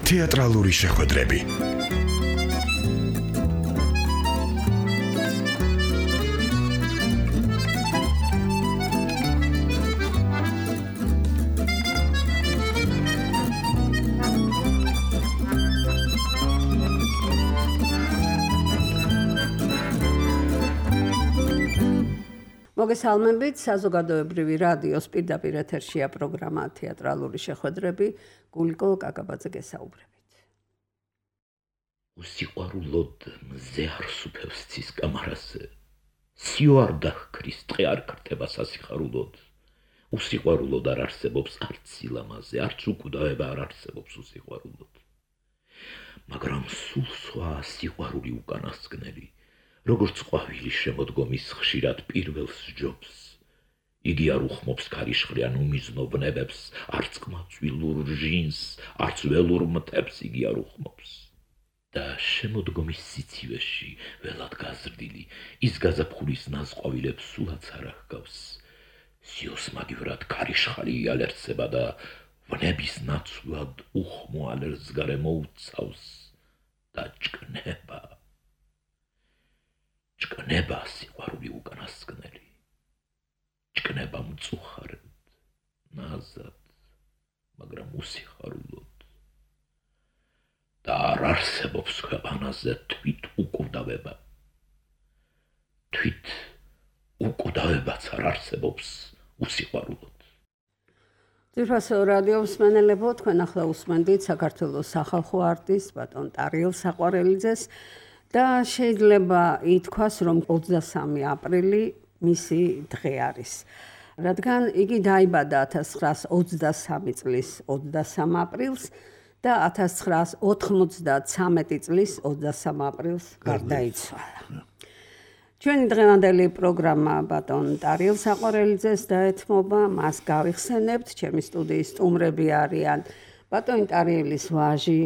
თეატრალური შეხვედრები. მოგესალმებით, საზოგადოებრივი რადიოს პირდაპირ ეთერშია პროგრამა თეატრალური შეხვედრები, გულიკო კაკაბაძე გესაუბრებით. უსიყვარულოდ მზე არ სუფევს ცის კამარაზე, სიო არ დახკრის, ტყე არ ქრთება სასიხარულოდ. უსიყვარულოდ არ არსებობს არც სილამაზე, არც უკვდავება არ არსებობს უსიყვარულოდ. მაგრამ სულ სხვა სიყვარული უკანასკნელი, როგორც ყვავილი შემოდგომის ხშირად პირველს ჯობს. იგი არ უხმობს ქარიშხლიან უმიზნო ბნებებს, არც ყმაწვილურ ჟინს, არც ველურ მტებს იგი არ უხმობს. და შემოდგომის სიცივეში, ველად გაზრდილი, ის გაზაფხულის ნაზყვავილებს სულაც არ აღგავს. სიოს მაგივრად ქარიშხალი იალერცება და ვნების ნაცვლად უხმო ალერს გარემო უცავს და ჭკნება. ჭკნება სიყვარული უკანასკნელი, ჭკნება მწუხარად, ნაზად, მაგრამ უსიხარულოდ. და არ არსებობს ქვეყანაზე თვით უკვდავება. თვით უკვდავებაც არ არსებობს უსიხარულოდ. ძვირფასო რადიო მსმენელებო, თქვენ ახლა უსმენდით საქართველოს სახალხო არტისტ ბატონ ტარიელ საყვარელიძეს და შეიძლება ითქვას, რომ 23 აპრილი მისი დღე არის. რადგან იგი დაიბადა 1923 წლის 23 აპრილს და 1993 წლის 23 აპრილს გარდაიცვალა. ჩვენი დღევანდელი პროგრამა ბატონ ტარიელ საყვარელიძეს დაეთმობა, მას გავიხსენებთ, ჩემი სტუდიის სტუმრები არიან ბატონი ტარიელის ვაჟი,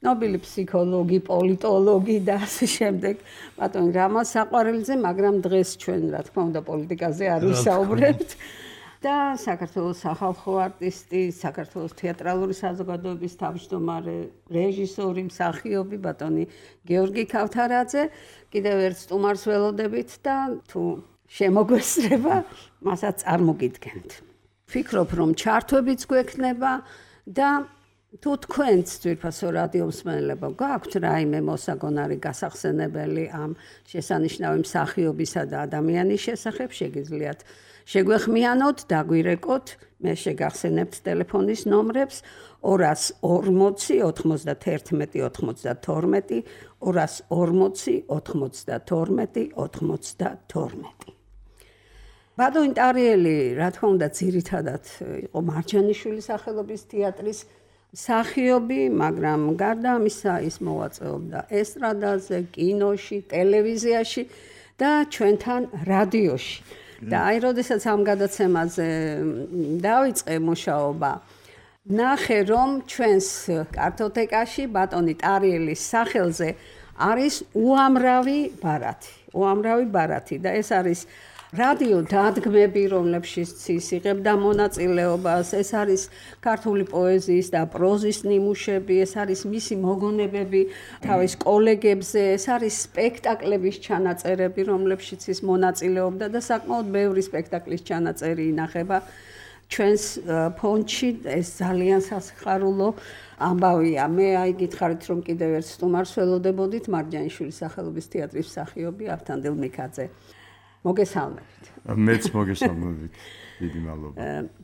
ნობილი ფსიქოლოგი, პოლიტოლოგი და ასე შემდეგ, ბატონი რამა საყვარელიძე, მაგრამ დღეს ჩვენ, რა თქმა უნდა, პოლიტიკაზე არ ვისაუბრებთ. და საქართველოს სახალხო არტისტი, საქართველოს თეატრალური საზოგადოების თავმჯდომარე, რეჟისორი, მსახიობი ბატონი გიორგი ქავთარაძე, კიდევ ერთ სტუმარს ველოდებით და თუ შემოგვესწრება, მასაც წარმოგიდგენთ. ვფიქრობ, რომ ჩართვებიც გვექნება და თუ თქვენც ძვირფასო რადიო მსმენელებო გაქვთ რაიმე მოსაგონარი გასახსენებელი ამ შესანიშნავი მსახიობისა და ადამიანის შესახებ, შეგიძლიათ შეგვეხმიანოთ, დაგვირეკოთ, მე შეგახსენებთ ტელეფონის ნომრებს 240 91 92, 240 92 92. ბატონი ტარიელი, რა თქმა უნდა, ძირითადად იყო მარჯანიშვილის სახელობის თეატრის მსახიობი, მაგრამ გარდა ამისა ის მოვაწეობდა ესტრადაზე, კინოში, ტელევიზიაში და ჩვენთან რადიოში. და აი, როდესაც ამ გადაცემაზე დავიწყე მუშაობა, ნახე, რომ ჩვენს კარტოტეკაში ბატონი ტარიელის სახელზე არის უამრავი ბარათი და ეს არის რადიო დადგმები, რომლებშიც ის იღებდა მონაწილეობას, ეს არის ქართული პოეზიის და პროზის ნიმუშები, ეს არის მისი მოგონებები თავის კოლეგებზე, ეს არის სპექტაკლების ჩანაწერები, რომლებშიც ის მონაწილეობდა და საკმაოდ ბევრი სპექტაკლის ჩანაწერი ინახება ჩვენს ფონდში, ეს ძალიან სასიხარულო ამბავია. მე აი გითხარით, რომ კიდევ ერთ სტუმარს ველოდებოდით, მარჯანიშვილის სახელობის თეატრის მსახიობი ავთანდილ მიქაძე. მოგესალმებით. მეც მოგესალმებით. დიდი მადლობა.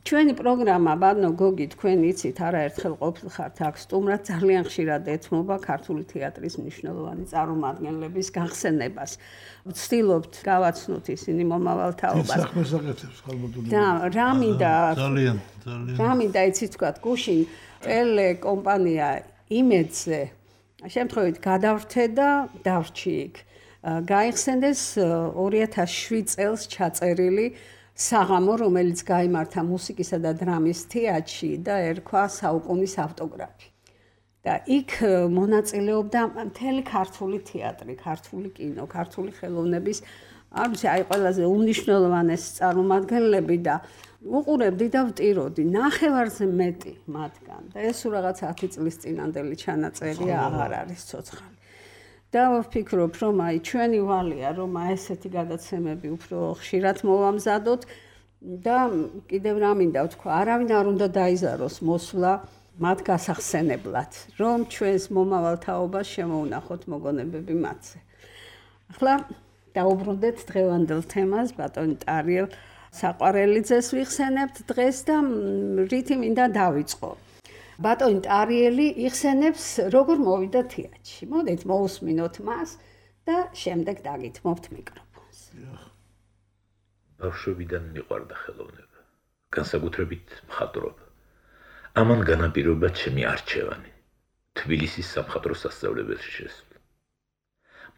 ჩვენი პროგრამა, ბატონო გოგი, თქვენ იცით, არაერთხელ ყოფილხართ აქ სტუმრად, ძალიან ხშირად ეთმობა ქართული თეატრის მნიშვნელოვანი წარმომადგენლების გახსენებას. ვცდილობთ გავაცნოთ ისინი მომავალ თაობას. საქმეს აკეთებს ხალბატონი. და რა მინდა ძალიან. რა მინდა იცით თქვათ, გუშინ ტელეკომპანია იმედზე შემთხვევით გადავრთე და დავრჩი იქ. გაიხსენდეს 2007 წელს ჩაწერილი საღამო, რომელიც გაიმართა მუსიკისა და დრამის თეატრში და ერქვა საუკუნის ავტოგრაფი. და იქ მონაწილეობდა მთელი ქართული თეატრი, ქართული კინო, ქართული ხელოვნების არ ვიცი, აი ყველაზე უმნიშვნელოვანესი წარმომადგენლები და უყურებდი და ვტიროდი, ნახევარზე მეტი მათგან და ეს რაღაც 10 წლის წინანდელი ჩანაწერია აღარ არის ცოცხალი. და ვფიქრობ, რომ აი ჩვენი ვალია, რომ ესეთი გადაცემები უფრო ხშირად მოვამზადოთ და კიდევ რა მინდა ვთქვა, არავინ არ უნდა დაიზაროს მოსვლა მათ გასახსენებლად, რომ ჩვენს მომავალ თაობას შემოუნახოთ მოგონებები მათზე. ახლა დაუბრუნდეთ დღევანდელ თემას, ბატონი ტარიელ საყვარელიძეს ვიხსენებთ დღეს და რითი მინდა დავიწყო. ბატონი ტარიელი იხსენებს როგორ მოვიდა თეატრში. მოდით მოусმინოთ მას და შემდეგ დაგითმობთ მიკროფონს. ბავშვობიდან მიყვარდა ხელოვნება, განსაკუთრებით მხატვრობა. ამან განაპირობა ჩემი არჩევანი, თბილისის სამხატვრო სასწავლებელში შესვლა.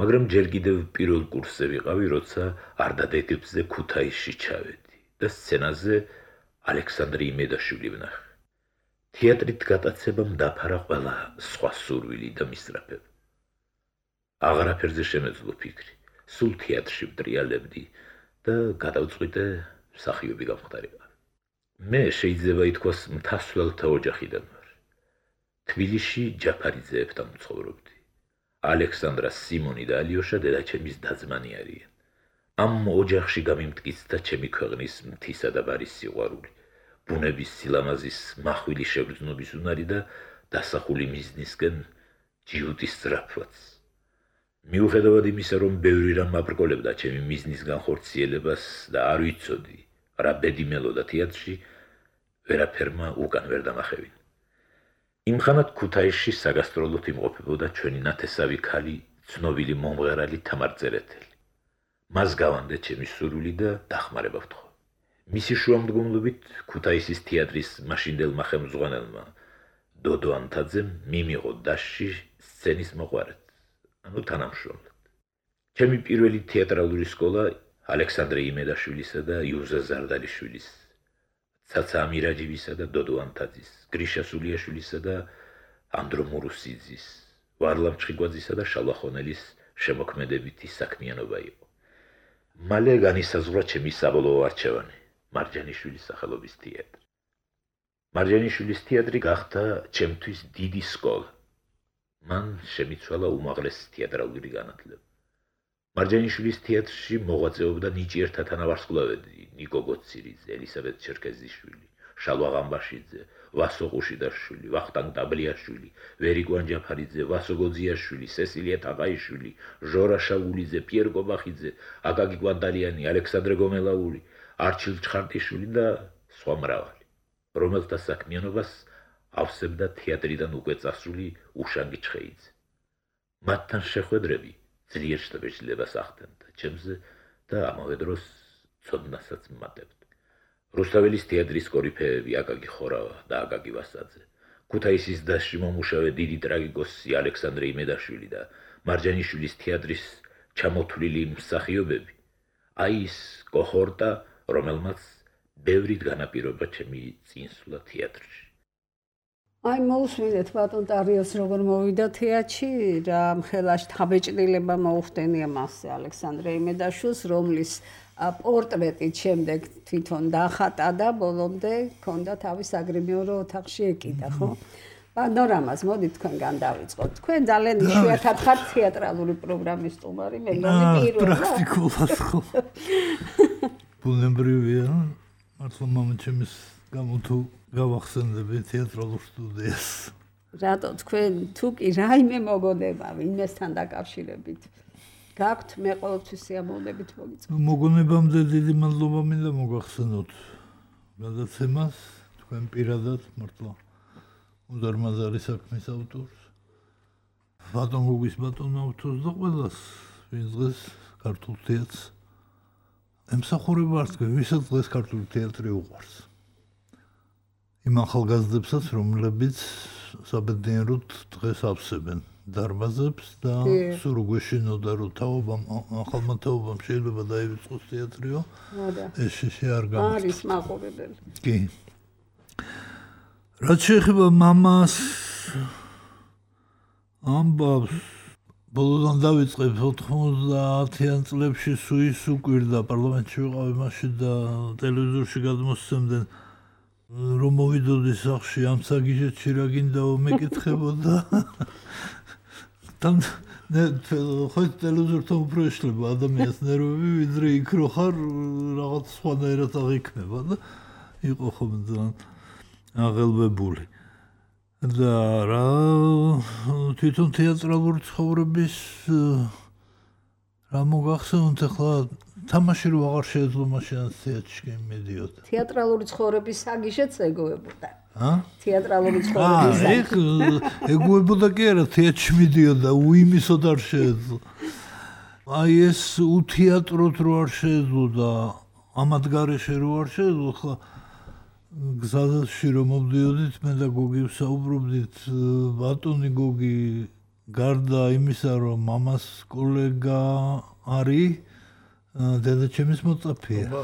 მაგრამ ჯერ კიდევ პირველ კურსზე ვიყავი, როცა არდადეგებზე ქუთაისში ჩავედი და სცენაზე ალექსანდრე იმედაშვილი ვნახე. თეატრით გატაცებამ დაფარა ყველა სხვა სურვილი და მისწრაფება. აღარაფერზე შემეძლო ფიქრი, სულ თეატრში ვტრიალებდი და გადავწყვიტე მსახიობი გამხდარიყავი. მე შეიძლება ითქვას მთასვლელთა ოჯახიდან ვარ. თბილისში ჯაფარიძეებთან ვცხოვრობდი. ალექსანდრა, სიმონი და ალიოშა დედაჩემის და-ძმანი არიან. ამ ოჯახში გამიმტკიცდა ჩემი ქვეყნის მთისა და ბარის სიყვარული, ბუნების სილამაზის მახვილი შეგრძნობის უნარი და დასახული მიზნისკენ ჯიუტის სწრაფვაც. მიუხედავად იმისა, რომ ბევრი რამ აბრკოლებდა ჩემი მიზნის განხორციელებას და არ ვიცოდი, რა ბედი მელოდა თეატრში, ვერაფერმა უკან ვერ დამახევინა. იმხანად ქუთაისში საგასტროლოდ იმყოფებოდა ჩვენი ნათესავი ქალი, ცნობილი მომღერალი თამარ წერეთელი. მას გავანდე ჩემი სურვილი და დახმარება ვთხოვ. მისი შუამდგომლობით ქუთაისის თეატრის მაშინდელმა ხელმძღვანელმა დოდო ანთაძემ მიმიღო დასში სცენის მოყვარეთ, ანუ თანამშრომლად. ჩემი პირველი თეატრალური სკოლა ალექსანდრე იმედაშვილისა და იუზა ზარდალიშვილის, ცაცა ამირაჯივისა და დოდო ანთაძის, გრიშა სულიაშვილისა და ანდრო მურუსიძის, ვარლამ ჩხიგვაძისა და შალვა ხონელის შემოქმედებითი საქმიანობა იყო. მალე განისაზღვრა ჩემი საბოლოო არჩევანი, მარჯანიშვილის სახელობის თეატრი. მარჯანიშვილის თეატრი გახდა ჩემთვის დიდი სკოლა. მან შემიცვალა უმაღლესი თეატრალური განათლება. მარჯანიშვილის თეატრში მოღვაწეობდა ნიჭიერთა თანავარსკვლავედი, ნიკო გოცირიძე, ელისაბედ ჩერქეზიშვილი, შალვა ღამბაშიძე, ვასო ყუშიდაშვილი, ვახტანგ დაბლიაშვილი, ვერიკვან ჯაფარიძე, ვასო გოძიაშვილი, სესილია თაყაიშვილი, ჟორა შაგულიძე, პიერ კობახიძე, აკაკი კვანდალიანი, ალექსანდრე გომელაური, არჩილ ჩხარტიშვილი და სხვა მრავალი, რომელთა საქმიანობას ავსებდა თეატრიდან უკვე წასული უშანგი ჩხეიძე. მათთან შეხვედრები ძლიერ შთაბეჭდილებას ახდენდა ჩემზე და ამავე დროს ცოდნასაც მმატებდა. რუსთაველის თეატრის კორიფეები აკაკი ხორავა და აკაკი ვასაძე, ქუთაისის დასში მომუშავე დიდი ტრაგიკოსი ალექსანდრე იმედაშვილი და მარჯანიშვილის თეატრის ჩამოთვლილი მსახიობები, აი ის კოჰორტა, რომელმაც ბევრით განაპირობა ჩემი წინსვლა თეატრში. აი მოусმინეთ ბატონ ტარიელს როგორ მოვიდა თეატრში, რა მხელა შთაბეჭდილება მოუხდენია მასზე ალექსანდრე იმედაშვილს, რომლის პორტრეტით შემდეგ თვითონ დახატა და ბოლომდე ჰქონდა თავის აგრიმეორო ოთახში ეკიდა, ხო? პანორამას მოდით თქვენგან დავიწყოთ. თქვენ ძალიან იშვიათად ხართ თეატრალური პროგრამის სტუმარი, მე მგონი პირველად. პრაქტიკულად ხო. ბუნებრივია, მართლა მამაჩემის გამო თუ გავახსენდები თეატრალურ სტუდიას. რატო თქვენ თუ კი რაიმე მოგონება ვინმესთან დაკავშირებით გაქვთ, მე ყოველთვის სიამოვნებით მოგიწყობ. მოგონებამდე დიდი მადლობა მინდა მოგახსენოთ გადაცემას, თქვენ პირადად მართლა უზარმაზარი საქმის ავტორს, ბატონ გოგის ბატონ ავტორს და ყველას, ვინც დღეს ქართულ თეატრს ემსახურება არც ვისაც დღეს ქართული თეატრი უყვარს. იმ ახალგაზრდებსაც, რომლებიც საბედნიეროდ დღეს ავსებენ დარბაზებს და სულ გვეშინოდა, რომ თაობამ, ახალმა თაობამ შეიძლება დაივიწყოს თეატრიო, ეს არ გამოდის. არის მაყურებელი. კი. რაც შეეხება მამას, ამბავს ბოლოდან დავიწყებ 90-იან წლებში სუის უკვირდა პარლამენტში ვიყავი მაშინ და ტელევიზორში გადმოსცემდნენ რომ მოვიდოდი სახლში ამ საგიჟეთში რა გინდაო მეკითხებოდა თან ხო ტელევიზორთან უფრო ეშლება ადამიანის ნერვები ვიდრე იქ რო ხარ რაღაც სხვანაირად აღიქმება და იყო ხომ ძალიან აღელვებული და რა თვითონ თეატრალური ცხოვრების რა მოგახსენოთ ახლა თამაში რო აღარ შეეძლო მაშინ თეატრში მედიოდა თეატრალური ცხოვრების საგიშეც ეგოებოდა თეატრალური ცხოვრების ეგოებოდა კი არა თეატრში მედიოდა უიმისოდ არ შეეძლო აი ეს უთეატროთ რო არ შეეძლო და ამად გარეშე რო არ შეეძლო ხა გზაში რომ მოვდიოდით მე და გოგი ვსაუბრობდით ბატონი გოგი გარდა იმისა რომ მამას კოლეგა არის დედაჩემის მოწაფეა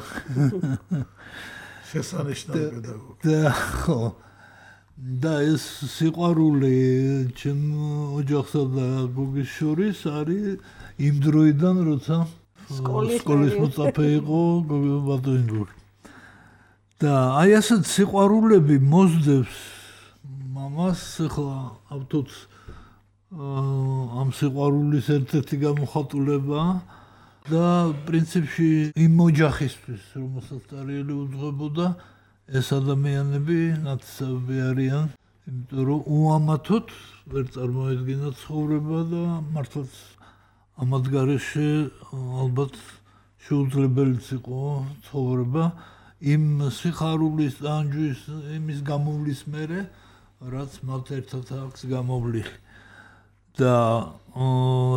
შესანიშნავი პედაგოგი და ხო და ეს სიყვარული ჩემ ოჯახსა და გოგის შორის არის იმ დროიდან როცა სკოლის მოწაფე იყო ბატონი გოგი და აი ასეთ სიყვარულები მოსდევს მამას ახლა ავთოთ ამ სიყვარულის ერთ-ერთი გამოხატულება და პრინციპში იმ ოჯახისთვის რომელსაც ტარიელი უძღვებოდა ეს ადამიანები ნაცნობი არიან იმიტომ რომ უამათოდ ვერ წარმოედგინა ცხოვრება და მართლაც ამად გარეშე ალბათ შეუძლებელიც იყო ცხოვრება იმ სიხარულის ანჯუის იმის გამოვლის მერე რაც მათ ერთად აქვს გამოვლილი და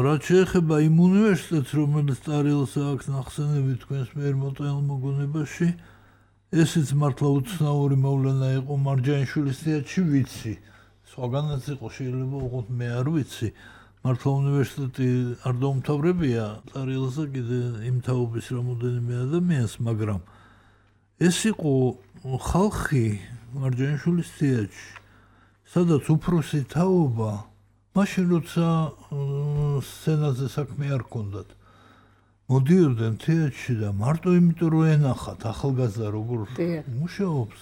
რაც შეეხება იმ უნივერსიტეტს რომელიც ტარიელს აქვს ნახსენები თქვენს მიერ მოტანილ მოგონებაში ესეც მართლა უცნაური მოვლენა იყო მარჯანიშვილის თეატრში ვიცი სხვაგანაც იყო შეიძლება უყოთ მე არ ვიცი მართლა უნივერსიტეტი არ დაუმთავრებია ტარიელსა კიდე იმ თაობის რამოდენიმე ადამიანს მაგრამ ეს იყო ხალხი მარჯანიშვილის თეატრში სადაც უფროსი თაობა მაშინ როცა სცენაზე საქმე არ ჰქონდათ მოდიოდნენ თეატრში და მარტო იმიტომ რომ ენახათ ახალგაზრდა როგორ მუშაობს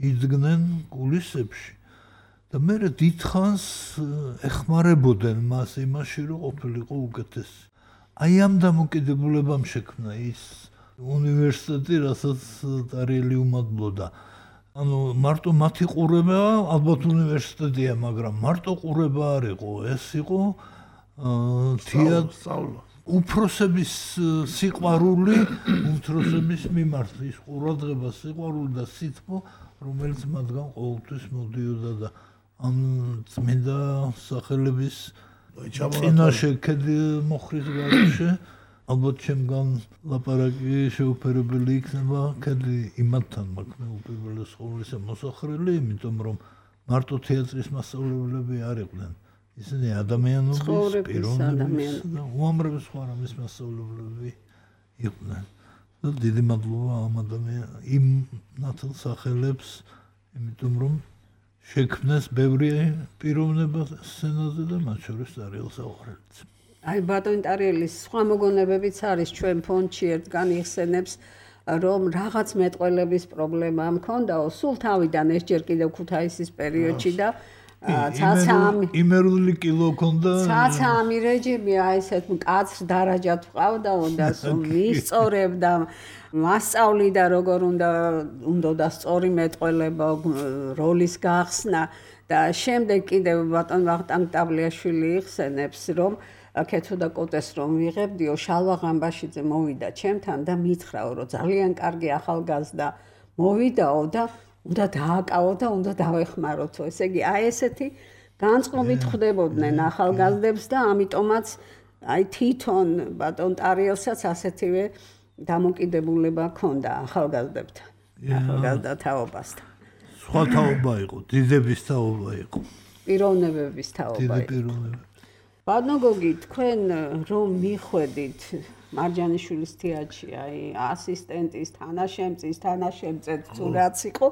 იძგნენ კულისებში და მე დიდხანს ეხმარებოდნენ მას იმაში რომ ყოფილიყო უკეთესი აი ამ დამოკიდებულებამ შექმნა ის უნივერსიტეტი რასაც ტარიელი უმადლოდა ანუ მარტო მათი ყურება ალბათ უნივერსიტეტია მაგრამ მარტო ყურება არ იყო ეს იყო თეატრი უფროსების სიყვარული უმცროსების მიმართ ის ყურადღება სიყვარული და სითბო რომელიც მათგან ყოველთვის მოდიოდა და ამ წმინდა სახელების წინაშე ქედი მოხრის გარეშე ალბათ ჩემგან ლაპარაკი შეუფერებელი იქნება ქედი იმათთან მაქვს მე უპირველეს ყოვლისა მოსახლე იმიტომ რომ მარტო თეატრის მასწავლებლები არ იყვნენ ისინი ადამიანობის პიროვნების და უამრავი სხვა რამის მასწავლებლები იყვნენ და დიდი მადლობა ამ იმ ნათელ სახელებს იმიტომ რომ შექმნეს ბევრი პიროვნება სცენაზე და მათ შორის ტარიელს აუღრელიც აი ბატონი ტარიელის სხვა მოგონებებიც არის ჩვენ ფონდში ერთგან იხსენებს რომ რაღაც მეტყველების პრობლემა მქონდაო სულ თავიდან ეს ჯერ კიდევ ქუთაისის პერიოდში და ცაცამი იმერული კილო ქონდა ცაცამი რეჟიმი აი ესეთ მკაცრ დარაჯად ვყავდაო და მისწორებდა მასწავლიდა როგორ უნდა სწორი მეტყველება როლის გახსნა და შემდეგ კიდევ ბატონ ვახტანგ ტაბლიაშვილი იხსენებს რომ კეთო და კოტეს რომ ვიღებდიო შალვა ღამბაშიძე მოვიდა ჩემთან და მითხრაო რომ ძალიან კარგი ახალგაზრდა მოვიდაო და უნდა დააკავო და უნდა დავეხმაროთო ესე იგი აი ესეთი განწყობით ხვდებოდნენ ახალგაზრდებს და ამიტომაც აი თვითონ ბატონ ტარიელსაც ასეთივე დამოკიდებულება ჰქონდა ახალგაზრდებთან ახალგაზრდა თაობასთან სხვა თაობა იყო დიდების თაობა იყო პიროვნებების თაობა იყო ბატონო გოგი თქვენ რომ მიხვედით მარჯანიშვილის თეატრში აი ასისტენტის თანაშემწის თანაშემწედ თუ რაც იყო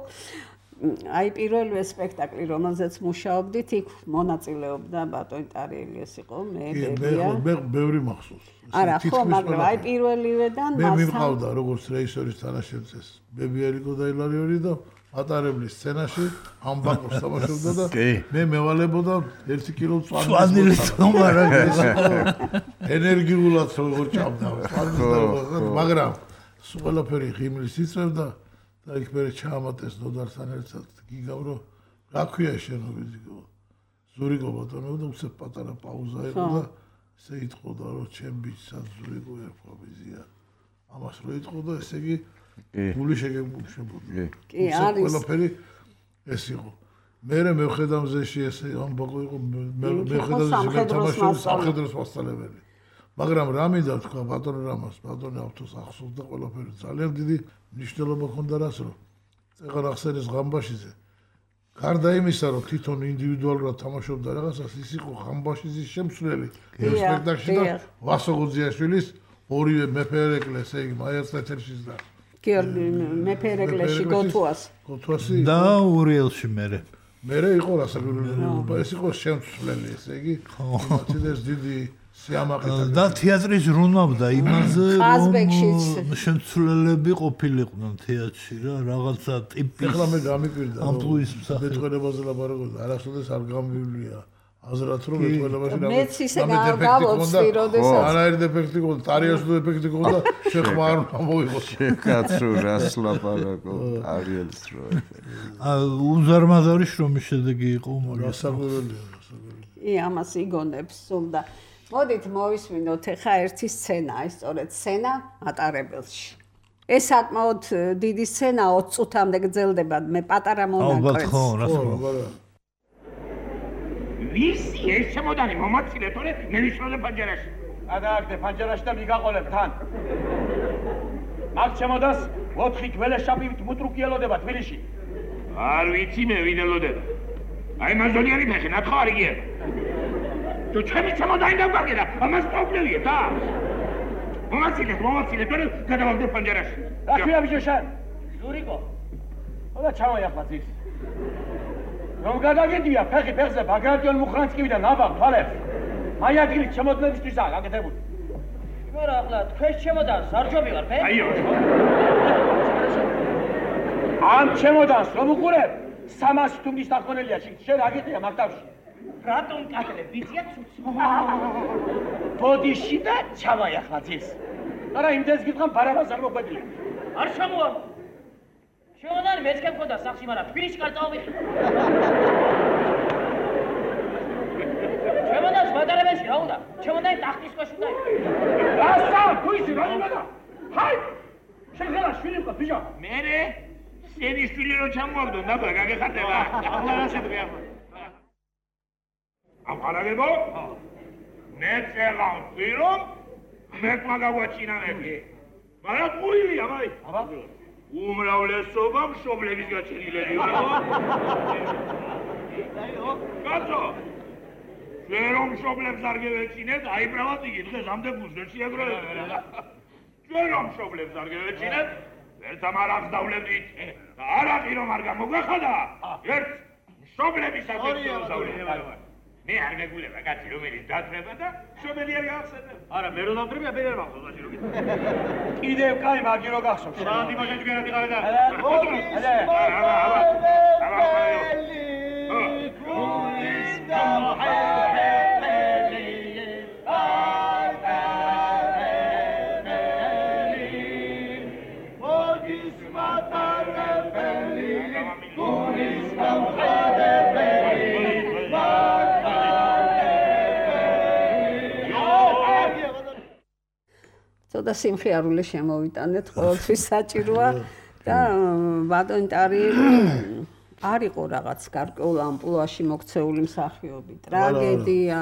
აი პირველივე სპექტაკლი, რომელზეც მუშაობდით, იქ მონაწილეობდა ბატონი ტარიელი ეს იყო, მე ბებია. მე ბევრი მახსოვს. არა, ხო, მაგრამ აი პირველივედან მე მიმყავდა როგორც რეჟისორის თანაშემწეს ბებიელიკო და ილარიონი და ატარებლის სცენაში ამბაკოს თამაშობდა და მე მევალებოდა 1 კილო წვანილი თომარა ენერგიულად როგორ ჭამდა მაგრამ სულ ყველაფერი ღიმლის იწევდა და იქ მე ჩაამატეს დოდართან ერთად გიგავრო რა ქვია შენობითი ზურიკო ბატონო და უცებ პატარა პაუზა იყო და ესე იტყოდა რომ ჩემ ბიჭსაც ზურიკო ერქვა ბიზია ამას რო იტყოდა ესე იგი გული შეგებულებოდა. კი, არის. ყველაფერი ეს იყო. მე მევხედა მზეში ესე ამბაკო იყო მე ხედავ სამხედროს მასწავლებელი. მაგრამ რა მინდა თქვა ბატონო რამას, ბატონი ავტოს ახსოვს და ყველაფერი ძალიან დიდი მნიშვნელობა ჰქონდა რას რომ წეღარ ახსენეს ღამბაშიძე. გარდა იმისა რომ თვითონ ინდივიდუალურად თამაშობდა რაღაცას, ის იყო ღამბაშიძის შემცვლელი სპექტაკლში და ვასო გუძიაშვილის ორივე მეფერეკლე ესე იგი მაერცეთერშიც და გიორგი მეფერეკლეში გოთუასი და ურიელში მე იყო რასაკვირველია ეს იყო შემცვლელი ესე იგი მათიდეს დიდი სიამაყე და თეატრის რუნავდა იმაზე რომ შემცვლელები ყოფილიყვნენ თეატრში რა რაღაცა ტიპის ეხლა მე გამიკვირდა ამპლუის მეტყველებაზე ლაპარაკობდა არასოდეს არ გამივლია აზრად რომ მეტყველებაში მეც ისე გავოცდი როდესაც არაერთი დეფექტი გქონდა ტარიაშო დეფექტი გქონდა შეხმა არ მოიღო შეკაცო რას ლაპარაკო ტარიელს რო უზარმაზარი შრომის შედეგი იყო რასაკვირველია ამას იგონებს სულდა მოდით მოვისმინოთ ახლა ერთი სცენა ის სწორედ სცენა ატარებელში ეს საკმაოდ დიდი სცენა 20 წუთამდე გრძელდება მე პატარა მონაკვეთს ხო რა თქმა ვისი ეს შემოდანი მომაცილე თორე მე ვისროლე ფანჯარაში გადააგდე ფანჯარაში და მიგაყოლებ თან მაგ შემოდას 4 გველეშაპივით მუტრუკიელოდება თბილისში არ ვიცი მე ვინ ელოდება აი მაზონიანი ფეხი ნათხო არ იგია თუ ჩემი შემოდანი დავგარგე და ამას პრობლემია და მომაცილე თორე გადავაგდე ფანჯარაში რა ქვია ბიჭო შენ ზურიკო ოდა ჩამოიახლა ძის რომ გადაგედია ფეხზე ბაგრატიონ მუხრანსკივიდან ნაბავ თვალებს აი ადგილი შემოძლებისთვისაა გაკეთებული იმარა ახლა თქვენ შემოდანს არ ჯობი ვარ ფე აიო ამ შემოდანს რომ უყურებ 300 თუნდის დახონელია შენ რა გიხია მაგდავში რატომ კატლებ ვიცია ცუცი ბოდიში და ჩამოიახლა ძის არა იმდენს გითხან ბარაბას არ მოხვედილი არ ჩამოარ შემოდანი მეც გემქონდა სახში მაგრამ თბილისში კარ წავიდე შემოდანს მატარებელში რა უნდა შემოდანი ტახტის ქვეშ უნდა რასა თუ ისი რა იმედა ჰაი შენ ხელა შვილი მყავს ბიჭო მერე სენი შვილი რო ჩამოაგდო ნაბა გაგეხარდება ახლა რა შედგე ახლა აპარაგებო მე წელავდი რომ მე მაგავაჩინანები მაგრამ ყუილია მაი აბა უმრავლესობა მშობლების გაჩენილებია. კაცო. ჩვენ რომ მშობლებს არ გევეჩინეთ, აიბრალად იგი დღეს ამდე გულს ვერ შეაგროვებთ. ჩვენ რომ მშობლებს არ გევეჩინეთ, ერთამ არახს დავლევდით. და არახი რომ არ გამოგვეხადა, ერთ მშობლების აკეთებს დავლევთ. მე არ მეგულება კაცი რომელიც დათრება და მშობელი არ გახსენებ. არა მე რომ დავდრებია მე არ მახსოვს მაშინ რო კიდევ კაი მაგი რო გახსოვს. რა დიმაშეთი განადი ყავე და ცოტა სიმხიარული შემოვიტანეთ, ყოველთვის საჭიროა და ბატონი ტარიელი არ იყო რაღაც გარკვეულ ამპლუაში მოქცეული მსახიობი. ტრაგედია,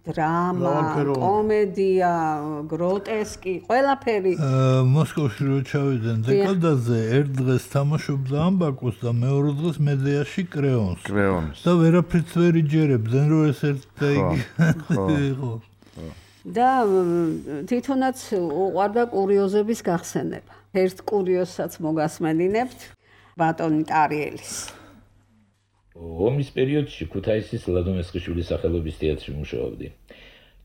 დრამა, კომედია, გროტესკი, ყველაფერი. მოსკოვში რო ჩავიდნენ დეკადაზე, ერთ დღეს თამაშობდა ამბაკოს და მეორე დღეს მედეაში კრეონს. და ვერაფრით ვერ იჯერებდნენ, რომ ეს ერთ და იგი იყო. და თვითონაც უყვარდა კურიოზების გახსენება. ერთ კურიოზსაც მოგასმენინებთ. ბატონი ტარიელის. ომის პერიოდში ქუთაისის ლადო მესხიშვილის სახელობის თეატრში მუშაობდი.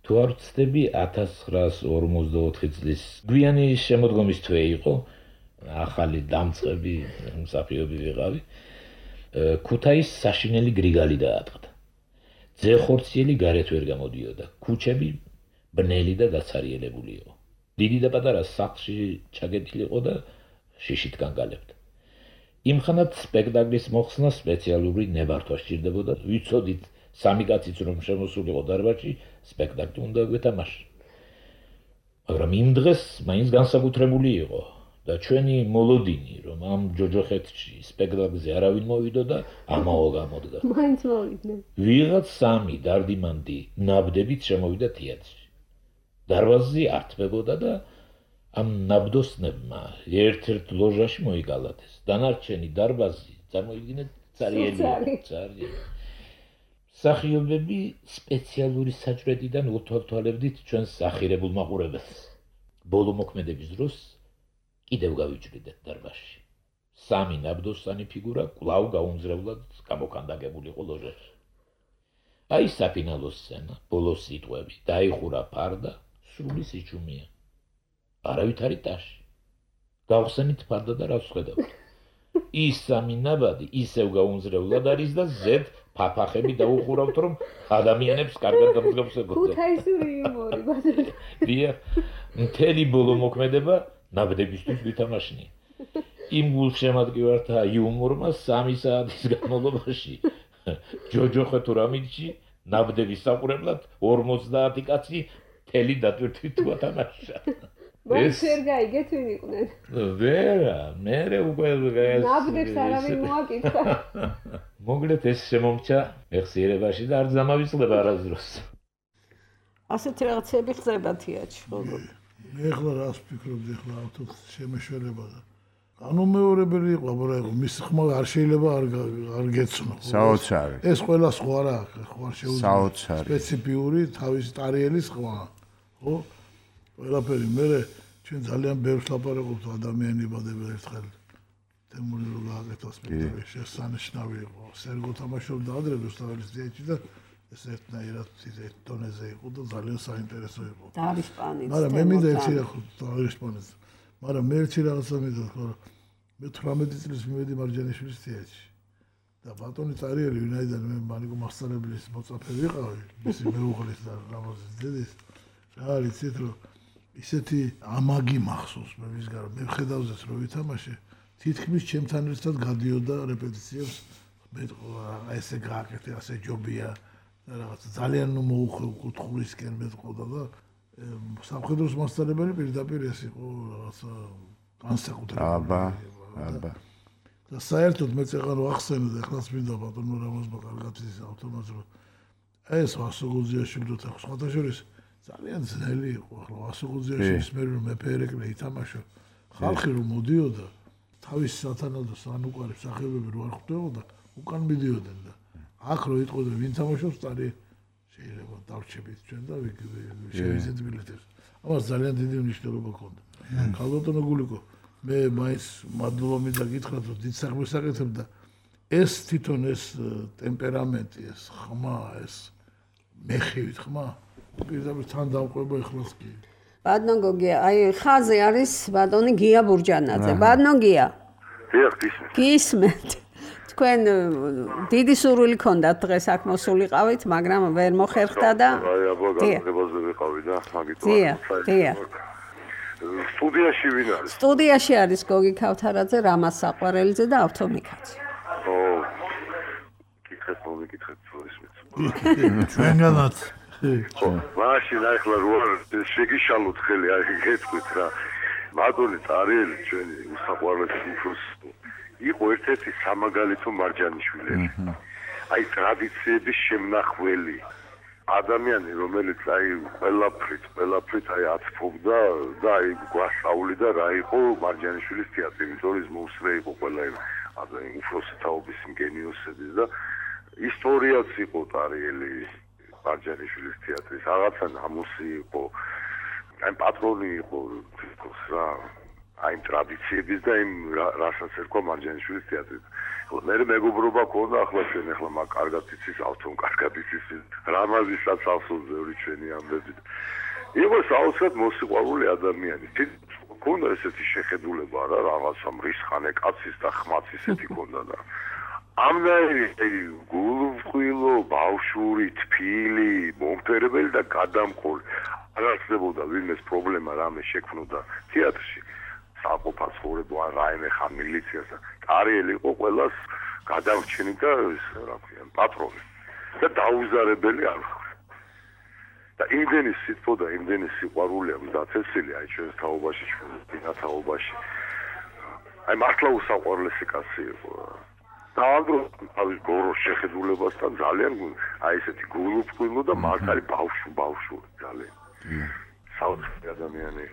თუ არ ვცდები 1944 წლის გვიანი შემოდგომის თვე იყო, ახალი დამწყები მსახიობი ვიყავი. ქუთაის საშინელი გრიგალი დაატყდა. ძეხორციელი გარეთ ვერ გამოდიოდა. ქუჩები ბნელი და დაცარიელებული იყო. დიდი და პატარა სახლში ჩაგეტილი იყო და შიშით განგალებდა. იმხანად სპექტაკლის მოხსნა სპეციალური ნებართვა სჭირდებოდა. ვიცოდით, სამი კაციც რომ შემოსულიყო დარბაზში, სპექტაკლი უნდა გვეთამაშა. მაგრამ იმ დღეს მაინც განსაკუთრებული იყო და ჩვენი მოლოდინი, რომ ამ ჯოჯოხეთში სპექტაკლზე არავინ მოვიდო და ამაო გამოდგა. მაინც მოვიდნენ. ვიღაც სამი დარდიმანდი ნაბდებით შემოვიდა თეატრში. დარბაზი ართმებოდა და ამ ნაბდოსნებმა ერთ-ერთ ლოჟაში მოიკალათეს. დანარჩენი დარბაზი წარმოიდგინეთ цариელი. მსახიობები სპეციალური საჭრედიდან უთვალთვალებდით ჩვენს ახირებულ მაყურებელს. ბოლო მოქმედების დროს კიდევ გავიჭრიდეთ დარბაზში. სამი ნაბდოსანი ფიგურა კვლავ გაუმზრებლად გამოკანდაგებულიყო ლოჟაში. აი საფინალო სცენა, ბოლოს სიტყვები, დაიხურა ფარდა, სრული სიჩუმეა. არავით არ იტაში. გავხსენით ფარდა და რას ვხედავთ. ის სამი ნაბადი ისევ გაუმზრებლად არის და ზედ ფაფახები დაუხურავთ, რომ ადამიანებს კარგად გამსგავს ეკოთა. ქუთაისური იუმორი ბატონო. დიახ, მთელი ბოლო მოქმედება ნაბდებისთვის ვითამაშნია. იმ გულშემატკივართა იუმორმა 3 საათის განმავლობაში ჯოჯოხეთურ ამინჩი ნაბდების საყურებლად 50 კაცი მთელი დატვირთვით ვათამაშა. ეს ვერ გაიგეთ ვინ იყვნენ? ვერა, მე უკვე ნაბდებს არავინ მოაკითხა. მოგლეთ ეს შემომჭა მეხსიერებაში და არ ზამავიწყდება არასდროს. ასეთი რაღაცები ხდება თეატრში, ხო? მე ახლა რას ვფიქრობდი ახლა ავთო შემეშველება და განუმეორებელი იყო, მაგრამ მის ხმა არ შეიძლება არ გეცნო. საოცარი. ეს ყველა სხვა რა აქვს, ხო არ შეუძლია. საოცარი. სპეციფიური თავის ტარიელის ხმა, ხო? ყველაფერი მე ჩვენ ძალიან ბევრს ლაპარაკობთ ადამიანებადება ერთხელ თემური რო გააკეთა სპექტაკლი შესანიშნავი იყო. სერგო თამაშობდა ადრე რუსთაველის თეატრში და ეს ერთნაირად ეს დონეზე იყო და ძალიან საინტერესო იყო. დაარიშპანიც. მაგრამ მე მინდა ერთი რა დაარიშპანიც. მაგრამ მე ერთი რაღაცა მინდა ხო მე 18 წლის მივედი მარჯანიშვილის თეატრში. და ბატონი ტარიელი ვინაიდან მე მანიკო მასწავლებლის მოწაფე ვიყავი, მისი მეუღლის და რამაზის დედის. რა არის იცით რომ ისეთი ამაგი მახსოვს მე ვისგან მე ხედავდეს რომ ვითამაშე თითქმის ჩემთან ერთად გადიოდა რეპეტიციებს მე ესე გააკეთე ასე ჯობია და რაღაც ძალიან მოუხუთხულისკენ მეტყოდა და სამხედროს მასწავლებელი პირდაპირ ეს იყო რაღაცა განსაკუთრებული აბა და საერთოდ მე წეღარ ვახსენე და ახლაც მინდა ბატონო რამაზმა კარგად ის ავტომატს რომ ეს ვასოგოზიაშვილი და სხვათა შორის ძალიან ძნელი იყო ახლა ვასოგოზიაშვილის მე რომ მეფერეკლე ითამაშა ხალხი რომ მოდიოდა თავის სათანადო სანუკვარი მსახიობები რო არ ხვდებოდა უკან მიდიოდნენ და აქ რო იტყოდა ვინ თამაშობს ტარი შეიძლება დავრჩებით ჩვენ და შევიზეთ ბილეთებს ამას ძალიან დიდი მნიშვნელობა ჰქონდა ქალბატონო გულიკო მე მაინც მადლობა მინდა გითხრათ რომ დიდ საქმეს აკეთებ და ეს თვითონ ეს ტემპერამენტი ეს ხმა ეს მეხივით ხმა პირდაპირ თან დავყვება ეხლას კი ბატონო გოგია აი ხაზე არის ბატონი გია ბურჯანაძე ბატონო გია გისმენთ თქვენ დიდი სურვილი ქონდათ დღეს აქ მოსულიყავით მაგრამ ვერ მოხერხდა და აი აბა განმეორებაზე ვიყავი და მაგით დია სტუდიაში ვინ არის სტუდიაში არის გოგი ქავთარაძე რამაზ საყვარელიძე და ავთო მიქაძე ო კითხეთ ის ჩვენგანაც მაშინ ახლა რო შეგიშალოთ ხელი აი გეტყვით რა მადონი ტარიელი ჩვენი უსაყვარლესი უფროს იყო ერთ-ერთი სამაგალითო მარჯანიშვილები აი ტრადიციების შემნახველი ადამიანი რომელიც აი ყველაფრით აი ათფობდა და აი გვასწავლიდა რა იყო მარჯანიშვილის თეატრი ვიტორის მოსრე იყო ყველა ადამიანი უფროსი თაობის გენიოსების და ისტორიაც იყო ტარიელი მარჯანიშვილის თეატრის რაღაცა ნამუსი იყო აი პატრონი იყო თვითონ რა აი იმ ტრადიციების და იმ რასაც ერქვა მარჯანიშვილის თეატრი. მე მეგობრობა ქონდა ახლა ჩვენ ახლა მაგ კარგად იცის ავთომ კარგად იცის რამაზისაც ავსულზევრი ჩვენი ამბები. იყო საოცრად მოსიყვარული ადამიანი. ქონდა ესეთი შეხედულება რა რაღაცა მრისხანე კაცის და ხმაც ისეთი ქონდა და ამნაირი გულუბრყვილო ბავშვური თბილი მომფერებელი და გადამყოლი არ არსებობდა ვინმეს პრობლემა რამე შექმნოდა თეატრში საყოფა ცხოვრება ან რაიმე ხან მილიციას და ტარიელი იყო ყველას გადარჩენი და რა ქვია პატრონი და დაუზარებელი არ და იმდენი სიტყვა და იმდენი სიყვარული აქვს დაწესილი აი ჩვენს თაობაში ჩვენს თაობაში აი მართლა უსაყვარლესი კაცი იყო და ამდროს გოროს შეხედულებასთან ძალიან აი ესეთი გულუბრყვილო და მართალი ბავშვი ძალიან საოცარი ადამიანი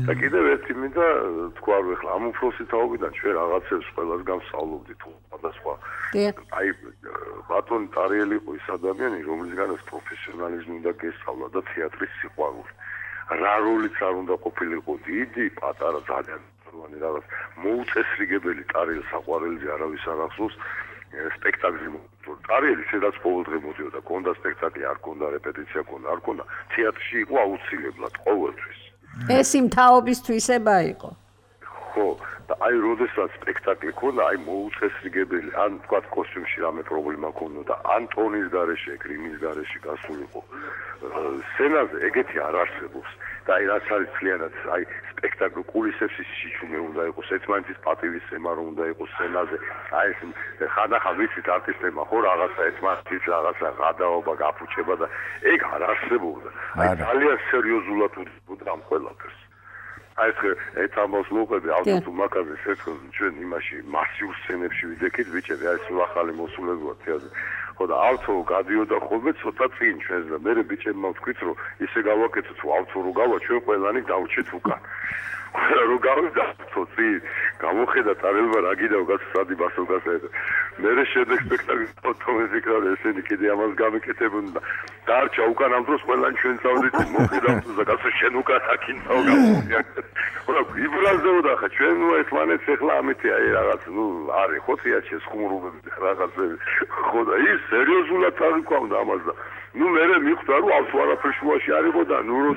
და კიდევ ერთი მინდა თქვა რომ ახლა ამ უფროსი თაობიდან ჩვენ რაღაცებს ყველას გავსწავლობდით სხვადასხვა აი ბატონი ტარიელი იყო ის ადამიანი რომლისგანაც პროფესიონალიზმი უნდა გესწავლა და თეატრის სიყვარული რა როლიც არ უნდა ყოფილიყო დიდი პატარა ძალიან რაღაც მოუწესრიგებელი ტარიელ საყვარელზე არავის არ ახსოვს სპექტაკლი ტარიელი სადაც ყოველდღე მოდიოდა კონდა სპექტაკლი არ კონდა რეპეტიცია კონდა არ კონდა თეატრში იყო აუცილებლად ყოველთვის ეს იმ თაობის თვისება იყო ხო და აი როდესაც სპექტაკლი ქონდა აი მოუწესრიგებელი ან თქვა კოსტიუმში რამე პრობლემა ქონდა ან ტონის გარეშე გრიმის გარეშე გასულიყო სცენაზე ეგეთი არ არსებობს და აი რაც არის ძალიანაც აი სპექტაკლი კულისებში სიჩუმე უნდა იყოს ერთმანეთის პატივისცემა რომ უნდა იყოს სცენაზე აი ეს ხანახა ვიცით არტისტებმა ხო რაღაცა ერთმანეთის რაღაცა გადაობა გაფუჩება და ეგ არ არსებობდა აი ძალიან სერიოზულად უძღვნა ამ ყველაფერს აი ეს ამბავს მოყვები ავტო მაკაზეს ერთხელ ჩვენ იმაში მასიურ სცენებში ვიდექით ბიჭები აი ეს ახალი მოსულებია თეატრში ხო და ავტო გადიოდა ხოლმე ცოტა წინ ჩვენს და მე ბიჭებმა ვთქვით რომ ისე გავაკეთოთ თუ ავტო რო გავა ჩვენ ყველანი დავჭეთ უკან რო გავიდა ცოტი გამოხედა ტარელმა რა გიდაო გასწადი ბასოგასა მე შემდეგ სპექტაკლი ფოტოები კრავდა ესენი კიდე ამას გამეკეთებოდნენ და დარჩა უკან ამ დროს ყველანი ჩვენ წავდით მოხედავ და გასა შენ უკან აკინთაო გამოდია ხო ვიბრაზეოდა ხა ჩვენ ნუ ერთმანეთს ახლა ამითი აი რაღაც ნუ არის ხო თეატრში ხუმრობები რაღაცები ხო და ის სერიოზულად აღიქვამდა ამას და ნუ მე მიხვდა რომ ავთო არაფერ შუაში არისო და ნუ რო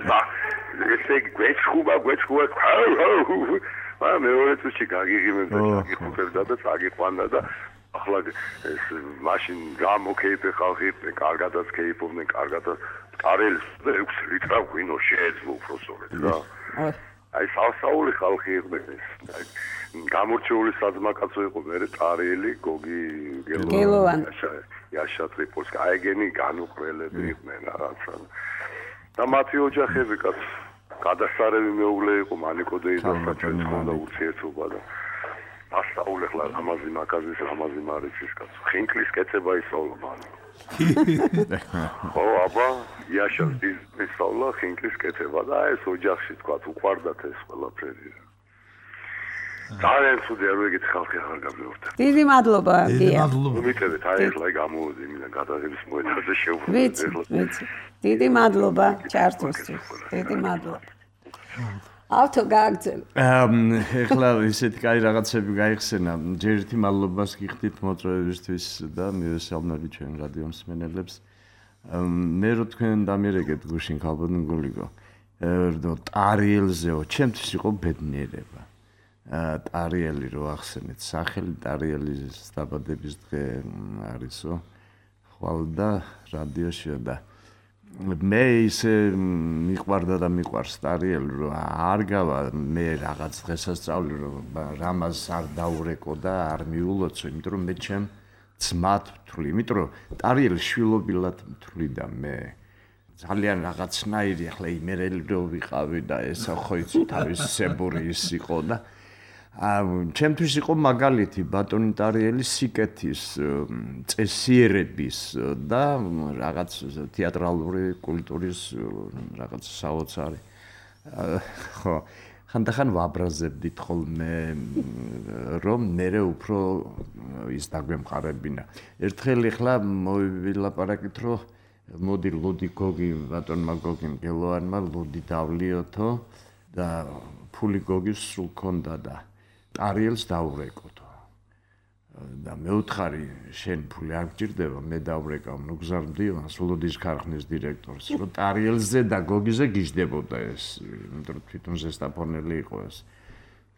ესე გვეჩხუბა ა მეორე წუთში გაგიღიმებდა გაგიხუებდა და წაგიყვანდა და ახლა ეს მაშინ გამოკეიფე ხალხი კარგადაც კეიფობდნენ კარგადაც ტარიელს და 6 ლიტრა ღვინო შეეძლო უფროსობეთ რა აი სასაული ხალხი იყვნენ აი გამორჩეული საძმაკაცო იყო მე ტარიელი გოგი გელოვანი იაშა ტრიპოლსკი აიგენი განუყრელები იყვნენ რაღაცა და მათი ოჯახები კაც გადასარევი მეუღლე იყო მანიკოდეი და საჩვენს ხონდა ურთიერთობა და ასაული ხლა ამაზი მაკაზის ამაზი მარიცის კაც ხინკლის კეთება ისწავლა მან ხო აბა იაშას ისწავლა ხინკლის კეთება და ეს ოჯახში თქვა უყვარდათ ეს ყველაფერი ძალიან ცუდი არ ვიგეთ ხალხი აღარ გამეორდა დიდი მადლობა გია მიტევეთ აი ახლა გამოვიდი მინდა გადაღების მოედანზე შევხვდით ვიცი დიდი მადლობა ჩართვისთვის დიდი მადლობა ავთო გააგზავნე ეხლა ისეთი კაი რაღაცები გაიხსენა ჯერ ერთი მადლობას გიხდით მოწვევისთვის და მივესალმები ჩვენ რადიო მსმენელებს მე რო თქვენ დამიერეგეთ გუშინ ხალბოდნ გულიგო ტარიელზეო ჩემთვის იყო ბედნიერება ტარიელი რო ახსენეთ სახელი ტარიელის დაბადების დღე არისო ხვალ და რადიოში და მე ისე მიყვარდა და მიყვარს ტარიელი რომ არ გავა მე რაღაც დღესასწაული რომ რამას არ დაურეკო და არ მიულოცო იმიტომ რომ მე ჩემ ძმად ვთვლი იმიტომ რომ ტარიელი შვილობილად ვთვლი და მე ძალიან რაღაცნაირი ახლა იმერელი რო ვიყავი და ესა ხო იცი თავის სებური ის იყო და ჩემთვის იყო მაგალითი ბატონი ტარიელის სიკეთის წესიერების და რაღაც თეატრალური კულტურის რაღაც საოცარი ხო ხანდახან ვაბრაზებდით ხოლმე რომ მერე უფრო ის დაგვემყარებინა ერთხელ ახლა მოვივილაპარაკით რომ მოდი ლუდი გოგი ბატონმა გოგიმ გელოანმა ლუდი დავლიოთო და ფული გოგის სულ ქონდა და ტარიელს დაურეკოთ. და მე ვთხარი შენ ფული არ გჭირდება, მე დავრეკავ ნუგზარ მდივანს, ულოდის ქარხნის დირექტორს, რომ ტარიელზე და გოგიზე გიждდებოდა ეს, იმიტომ რომ თვითონ ზესტაფონელი იყო ეს.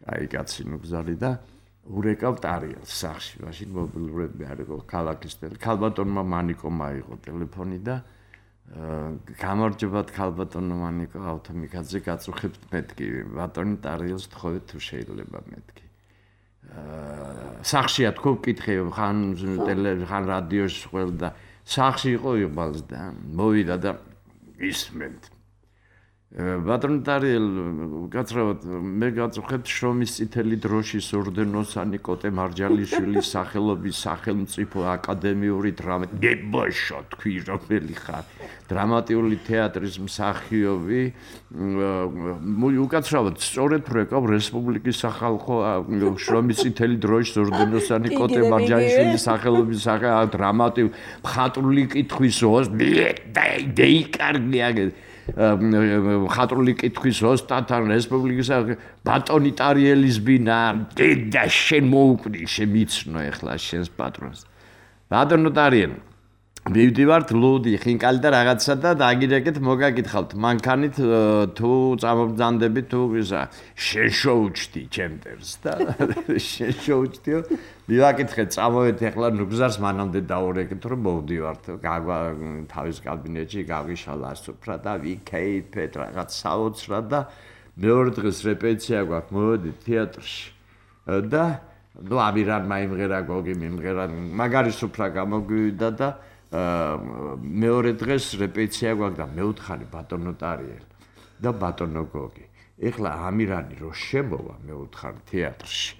აი კაცი ნუგზარი და ურეკავ ტარიელს სახში, მაშინ მობილურები არ იყო ქალაქის ქალბატონმა მანიკომ აიღო ტელეფონი და გამარჯობათ ქალბატონო მანიკო ავთომიკაძე გაწუხებთ მეთქი, ბატონი ტარიელს თხოვეთ თუ შეიძლება მეთქი. სახშია თქო ვკითხე ხან რადიოში ყველდა სახში იყო იღბალს და მოვიდა და ისმენთ ბატონ ტარიელ გაცრავად მე გაწუხებთ შრომის წითელი დროშის ორდენოსანი კოტე მარჯალიშვილის სახელობის სახელმწიფო აკადემიური დრამა გებოშო თქვი რომელი ხარ დრამატიული თეატრის მსახიობი უკაცრავად სწორედ ვეკავ რესპუბლიკის სახალხო შრომის წითელი დროშის ორდენოსანი კოტე მარჯალიშვილის სახელობის დრამატიულ მხატვრული კითხვის დეიკარგია ხატრული კითხვის ოსტათან რესპუბლიკის ბატონი ტარიელის ბინა და შენ მოუკვდი შემიცნო ეხლა შენს პატრონს ბატონო ტარიელი მივდივართ ლუდი ხინკალი და რაღაცა და დაგირეკეთ მოგაკითხავთ მანქანით თუ წამობძანდებით თუ ისა შენ შოუჩდი ჩემტერს და შენ შოუჩდიო მივაკითხეთ წამოვეთ ეხლა ნუგზარს მანამდე დაურეკეთ რომ მოვდივართ თავის კაბინეტში გავიშალა სუფრა და ვიქეიფეთ რაღაც საოცრად და მეორე დღეს რეპეტიცია გვაქვს მოვედით თეატრში და ნუ ამირანმა იმღერა გოგი მიმღერა მაგარი სუფრა გამოგვივიდა და მეორე დღეს რეპეტიცია გვაქვს და მეუთხარი ბატონო ტარიელი და ბატონო გოგი. ეხლა ამირანი რო შემოვა მეუთხარ თეატრში.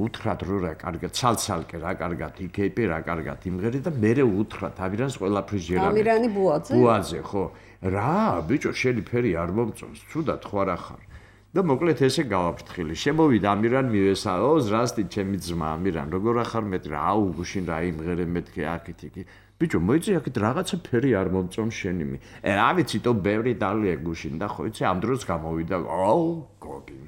უთხრათ რო რა კარგად ცალცალკე რა კარგად იქეიპი რა კარგად იმღერი და მე უთხრათ ამირანს ყველაფრის ჟერა. ამირანი ბუაძე? ბუაძე ხო. რა ბიჭო შენი ფერი არ მომწონს, ცუდად ხო არა ხარ. და მოკლედ ესე გავაფრთხილი. შემოვიდა ამირან მივესაო, ზრასტი ჩემი ძმა ამირან, როგორ ახარ მეტი რა, აუ გუშინ რა იმღერე მეთქე აქეთ იქ. ბიჭო მოიწე აქეთ რაღაცა ფერი არ მომწონს შენი. რა ვიცი თო ბევრი დალია გუშინ და ხო იცი ამ დროს გამოვიდა, აუ გოგი.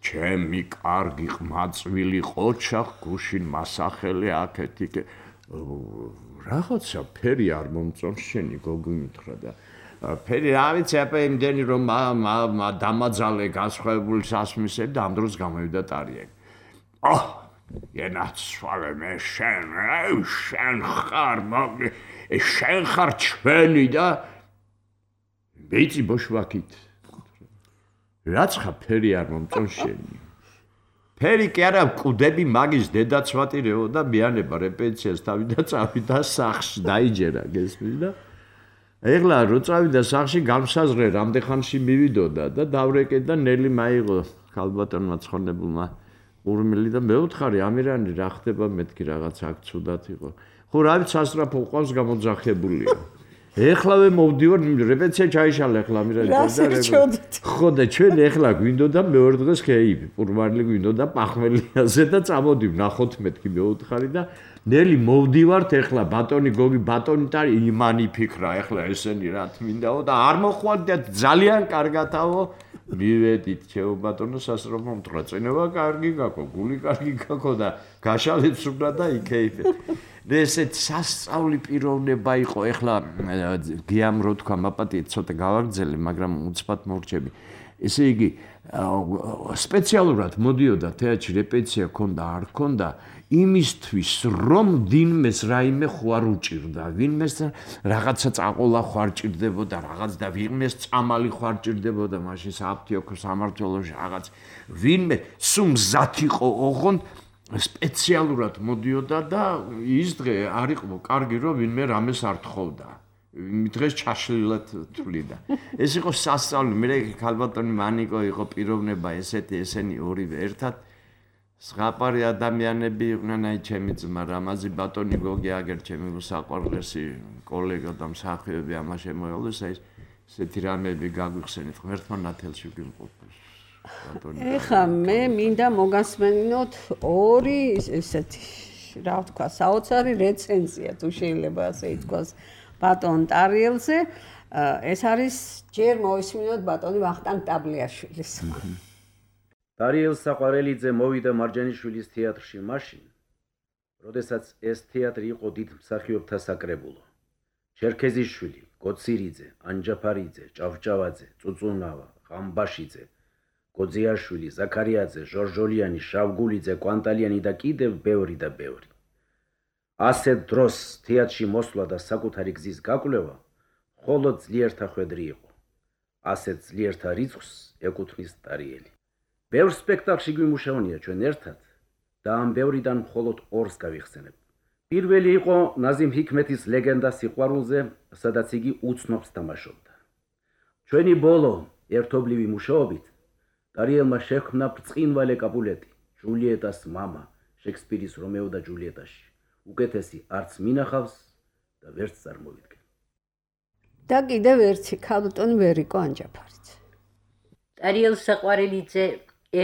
ჩემი კარგი ყმაწვილი ყოჩა გუშინ მასახელი აქეთ იქ. რაღაცა ფერი არ მომწონს შენი გოგი მითხრა და ფერი რა ვიცი აპა იმდენი რომ დამაძალე გასხვავებული სასმისები და ამ დროს გამოვიდა ტარიელი. ენაცვალე მე შენ ხარ შენ ხარ ჩვენი და ვიცი ბოშვაკით რაც ხა ფერი არ მომწონს შენი ფერი კი არა მკვდები მაგის დედაცვატირეო და მიანება რეპეტიციას თავი და წავიდა სახში დაიჯერა გესმის და ეხლა რო წავიდა სახში გამსაზღრე რამდენხანში მივიდოდა და დავრეკეთ და ნელი მაიღო ქალბატონმა ცხონებულმა ურმილი და მეუთხარი ამირანი რა ხდება მეთქი რაღაც აქ ცუდად იყო ხო რა ვიცი სასწრაფო ყავს გამოძახებულია ეხლავე მოვდივარ რეპეტიცია ჩაიშალა ეხლა ამირანი ხო და ჩვენ ეხლა გვინდოდა მეორე დღეს ქეიფი პურმარლი გვინდოდა პახმელიაზე და წამოდი ვნახოთ მეთქი მეუთხარი და ნელი მოვდივართ ეხლა ბატონი გოგი ბატონი ტარი იმანი ფიქრა ეხლა ესენი რა თმინდაო და არ მოხვდათ ძალიან კარგათაო მივედით ჩემო ბატონო სასწრაფო მტრა წინევა კარგი გაქო გული კარგი გაქო და გაშალეთ სუბრა და იქეიფეთ და ესეთ სასწაული პიროვნება იყო ეხლა გიამ რო თქვა მაპატიეთ ცოტა გავაგრძელე მაგრამ უცბად მორჩები ესე იგი სპეციალურად მოდიოდა თეატრში რეპეტიცია ქონდა არ ქონდა იმისთვის რომ ვინმეს რაიმე ხوار უჭირდა ვინმეს რაღაცა წაყოლა ხوار ჭირდებოდა რაღაც და ვინმეს წამალი ხوار ჭირდებოდა მაშინ საფთიოქო სამართლოში რაღაც ვინმე სულ მზად იყო ოღონდ სპეციალურად მოდიოდა და ის დღე არ იყო კარგი რომ ვინმე რამეს არ თხოვდა დღეს ჩაშლილად თვლიდა ეს იყო სასწაული მე ქალბატონი მანიკო იყო პიროვნება ესეთი ესენი ორივე ერთად სღაპარი ადამიანები იყვნენ აი ჩემი ძმა რამაზი ბატონი გოგი აგერ ჩემი საყვარლესი კოლეგა და მსახიობი ამა შემოევლეს აი ესეთი რამები გაგვიხსენეთ ღმერთმა ნათელში გვიმყოფოს ბატონი ეხა მე მინდა მოგასმენინოთ ორი ესეთი რა ვთქვა საოცარი რეცენზია თუ შეიძლება ასე ითქვას ბატონ ტარიელზე ეს არის ჯერ მოისმინოთ ბატონი ვახტანგ ტაბლიაშვილის. დარიელ საყვარელიძე მოვიდა მარჯანიშვილის თეატრში მაშინ, როდესაც ეს თეატრი იყო დიდ მსახიობთა საკრებულო. ჩერქეზიშვილი, გოცირიძე, ანჯაფარიძე, ჭავჭავაძე, წუწუნავა, ღამბაშიძე, გოძიაშვილი, ზაქარიაძე, ჟორჟოლიანი, შავგულიძე, კვანტალიანი და კიდევ ბევრი და ბევრი. ასეთ დროს თეატრში მოსვლა და საკუთარი გზის გაკვლევა მხოლოდ ძლიერთა ხვედრი იყო. ასეთ ძლიერთა რიცხვს ეკუთვნის დარიელი. ბევრ სპექტაკლში გვიმუშავნია ჩვენ ერთად და ამ ბევრიდან მხოლოდ ორს გავიხსენებ. პირველი იყო ნაზიმ ჰიქმეთის ლეგენდა სიყვარულზე, სადაც იგი უცნობს თამაშობდა. ჩვენი ბოლო ერთობლივი მუშაობით დარიელმა შექმნა ბრწყინვალე კაპულეტი, ჯულიეტას მამა, შექსპირის რომეო და ჯულიეტაში. უკეთესი არც მინახავს და ვერც წარმოვიდგენ. და კიდევ ერთი ქალბატონი ვერიკო ანჯაფარიძე. დარიელ საყვარელიძე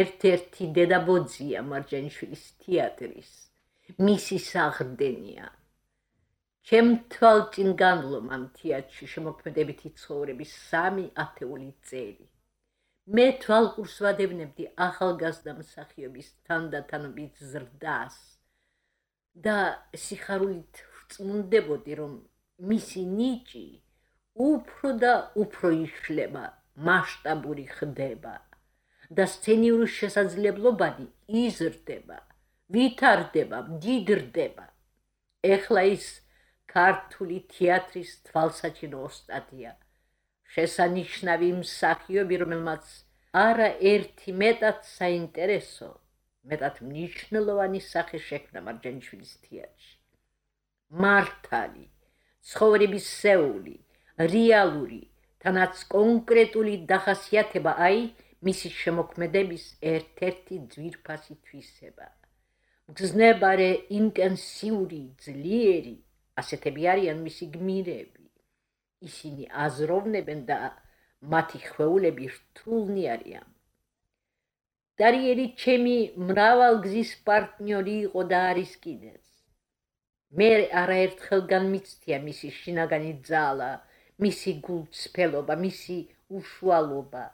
ერთ-ერთი დედაბოძია მარჯანიშვილის თეატრის, მისი საღრდენია. ჩემ თვალწინ განვლომ ამ თეატრში შემოქმედებითი ცხოვრების 3 ათეული წელი. მე თვალყურს ვადევნებდი ახალგაზრდა მსახიობის თანდათანობით ზრდას და სიხარულით ვწმუნდებოდი, რომ მისი ნიჭი უფრო და უფრო იშლება, მასშტაბური ხდება და სცენიური შესაძლებლობანი იზრდება, ვითარდება, მდიდრდება. ეხლა ის ქართული თეატრის თვალსაჩინო ოსტატია, შესანიშნავი მსახიობი, რომელმაც არა ერთი მეტად საინტერესო, მეტად მნიშვნელოვანი სახე შექმნა მარჯანიშვილის თეატრში. მართალი, ცხოვრების სეული, რეალური, თანაც კონკრეტული დახასიათება აი მისი შემოქმედების ერთ-ერთი ძვირფასი თვისება. მგზნებარე, ინტენსიური, ძლიერი, ასეთები არიან მისი გმირები. ისინი აზროვნებენ და მათი ხვეულები რთულნი არიან. დარიელი ჩემი მრავალგზის პარტნიორი იყო და არის კიდეც. მე არაერთხელ განმიცდია მისი შინაგანი ძალა, მისი გულწრფელობა, მისი უშუალობა.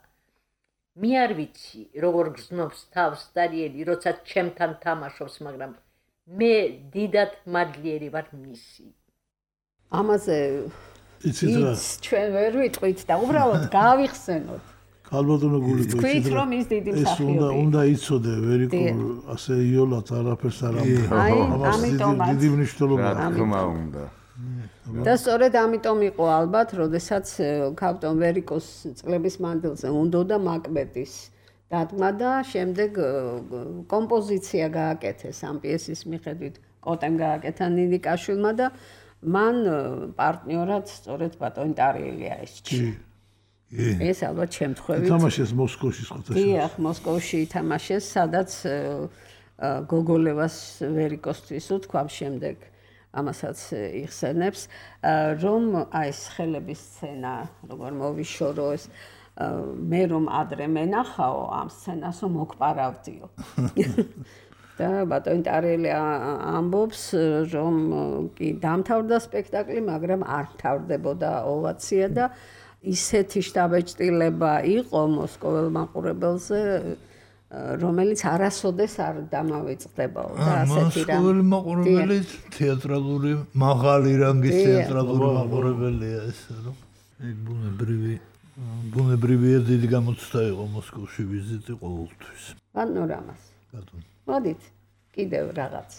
მე არ ვიცი, როგორ გრძნობს თავს დარიელი, როცა ჩემთან თამაშობს, მაგრამ მე დიდად მადლიერი ვარ მისი. ამაზე ჩვენ ვერ ვიტყვით და უბრალოდ გავიხსენოთ. ქალბატონო გული თქვით, რომ ის დიდი მსახიობია. უნდა იცოდე, ვერიკო ასე იოლად არაფერს არ ამბობს. აი, ამიტომაც დიდი მნიშვნელობა თქმა უნდა. და სწორედ ამიტომ იყო ალბათ, როდესაც ქალბატონ ვერიკოს წლების მანძილზე უნდოდა მაკბეტის დადგმა და შემდეგ კომპოზიცია გააკეთეს ამ პიესის მიხედვით, კოტემ გააკეთა ნინიკაშვილმა და მან პარტნიორად სწორედ ბატონი ტარიელი აისჩია. ეს ალბათ შემთხვევით ითამაშეს მოსკოვში ხოთაშა. დიახ, მოსკოვში ითამაშეს, სადაც გოგოლევას ვერიკოსთვის უთქვამ შემდეგ ამასაც იხსენებს, რომ აი ეს ხელების სცენა, როგორ მოვიშორო ეს მე რომ ადრე მენახაო ამ სცენას მოგპარავდიო. და ბატონი ტარიელი ამბობს, რომ კი დამთავრდა სპექტაკლი, მაგრამ არ მთავრდებოდა ოვაცია და ისეთი შთაბეჭდილება იყო მოსკოველ მაყურებელზე, რომელიც არასოდეს არ დამავიწყდებაო და ასეთი რამ. მოსკოველი მაყურებელი თეატრალური მაღალი რანგის თეატრალური მაყურებელია ეს, რომ ეგ ბუნებრივია დიდი გამოცდა იყო მოსკოვში ვიზიტი ყოველთვის. პანორამას. მოდით, კიდევ რაღაც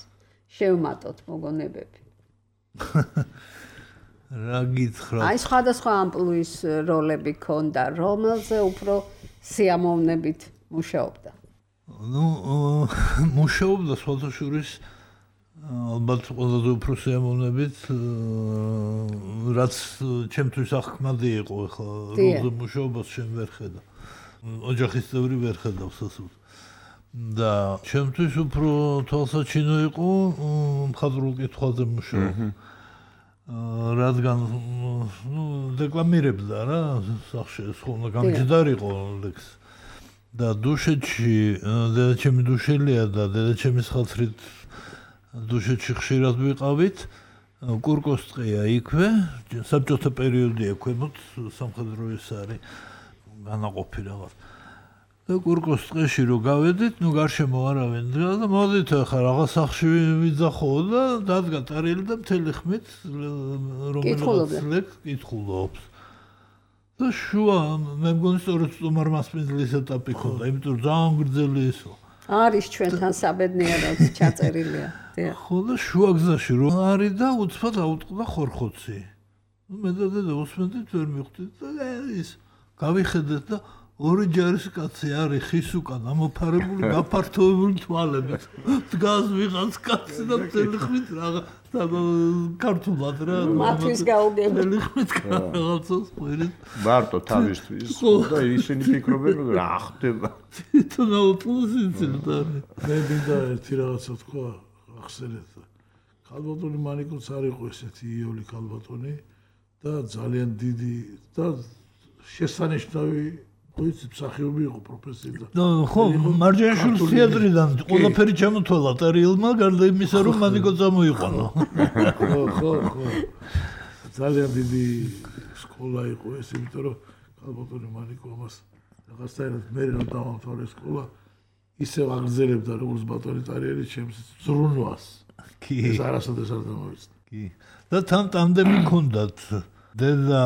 შევმატოთ მოგონებები. რა გითხრათ? აი სხვადასხვა ამპლუის როლები ქონდა, რომელზე უფრო სიამოვნებით მუშაობდა. მუშაობდა სხვადასხვის ალბათ ყველაზე უფრო სიამოვნებით, რაც ჩემთვის ახკმადი იყო ახლა როლზე მუშაობას შენ ვერ ხედა. ოჯახის წევრი ვერ ხედავს ასე. და ჩემთვის უფრო თვალსაჩინო იყო მხატვრულ კითხვაზე მუშაობა. რადგან დეკლამირებდა რა სახში ხოლმე გამჯდარიყო ლექს და დუშეთში დედაჩემი დუშელია და დედაჩემის ხალხით დუშეთში ხშირად ვიყავით კურკოს ტყეა იქვე, საბჭოთა პერიოდია ქვემოთ სამხედრო ეს არის განაყოფი რაღაც. და კურკოს ტყეში რო გავედით, გარშემო არავინ და მოდით ახლა რაღაც სახში ვიძახო და დადგა ტარიელი და მთელი ხმით რომელიც კითხულობს. და შუა მე მგონი სწორედ სტუმარ მასპინძლის ეტაპი ქონდა, იმიტომ რომ ძალიან გრძელი ისო. არის ჩვენთან საბედნიეროდ ჩაწერილია. ხო და შუა გზაში რო არის და უცბად აუტყდა ხორხოცი. მე და დედა უსმენდით ვერ მივხვდით და ის გავიხედეთ და ორი ჯარისკაცი არის ხის უკან ამოფარებული გაფართოებული თვალებით. დგას ვიღაც კაცი და მთელი ხმით რაღაც ქართულად რა მათვის გაუგებელი ხმით რაღაცას ყვირით. მარტო თავისთვის და ისინი ფიქრობენ რა ხდება. თვითონ აუტყდა და მე მინდა ერთი რაღაცა თქვა ახსენეთ. ქალბატონი მანიკოც არ იყო ესეთი იოლი ქალბატონი და ძალიან დიდი და შესანიშნავი ვიცი მსახიობი იყო პროფესიიდან. ხო, მარჯანიშვილის თეატრიდან ყველაფერი ჩამოთვალა ტარიელმა, გარდა იმისა, რომ მანიკო წამოიყვანა. ხო. ძალიან დიდი სკოლა იყო ეს, იმიტომ რომ ქალბატონი მანიკო ამას რაღაცაირად მე რომ დავამთავრე სკოლა, ისევ აგრძელებდა როგორც ბატონი ტარიელი ჩემს ზრუნვას. კი. ეს არასოდეს არ დამოვიცნე. კი. და თან ტანდემი ჰქონდათ. დედა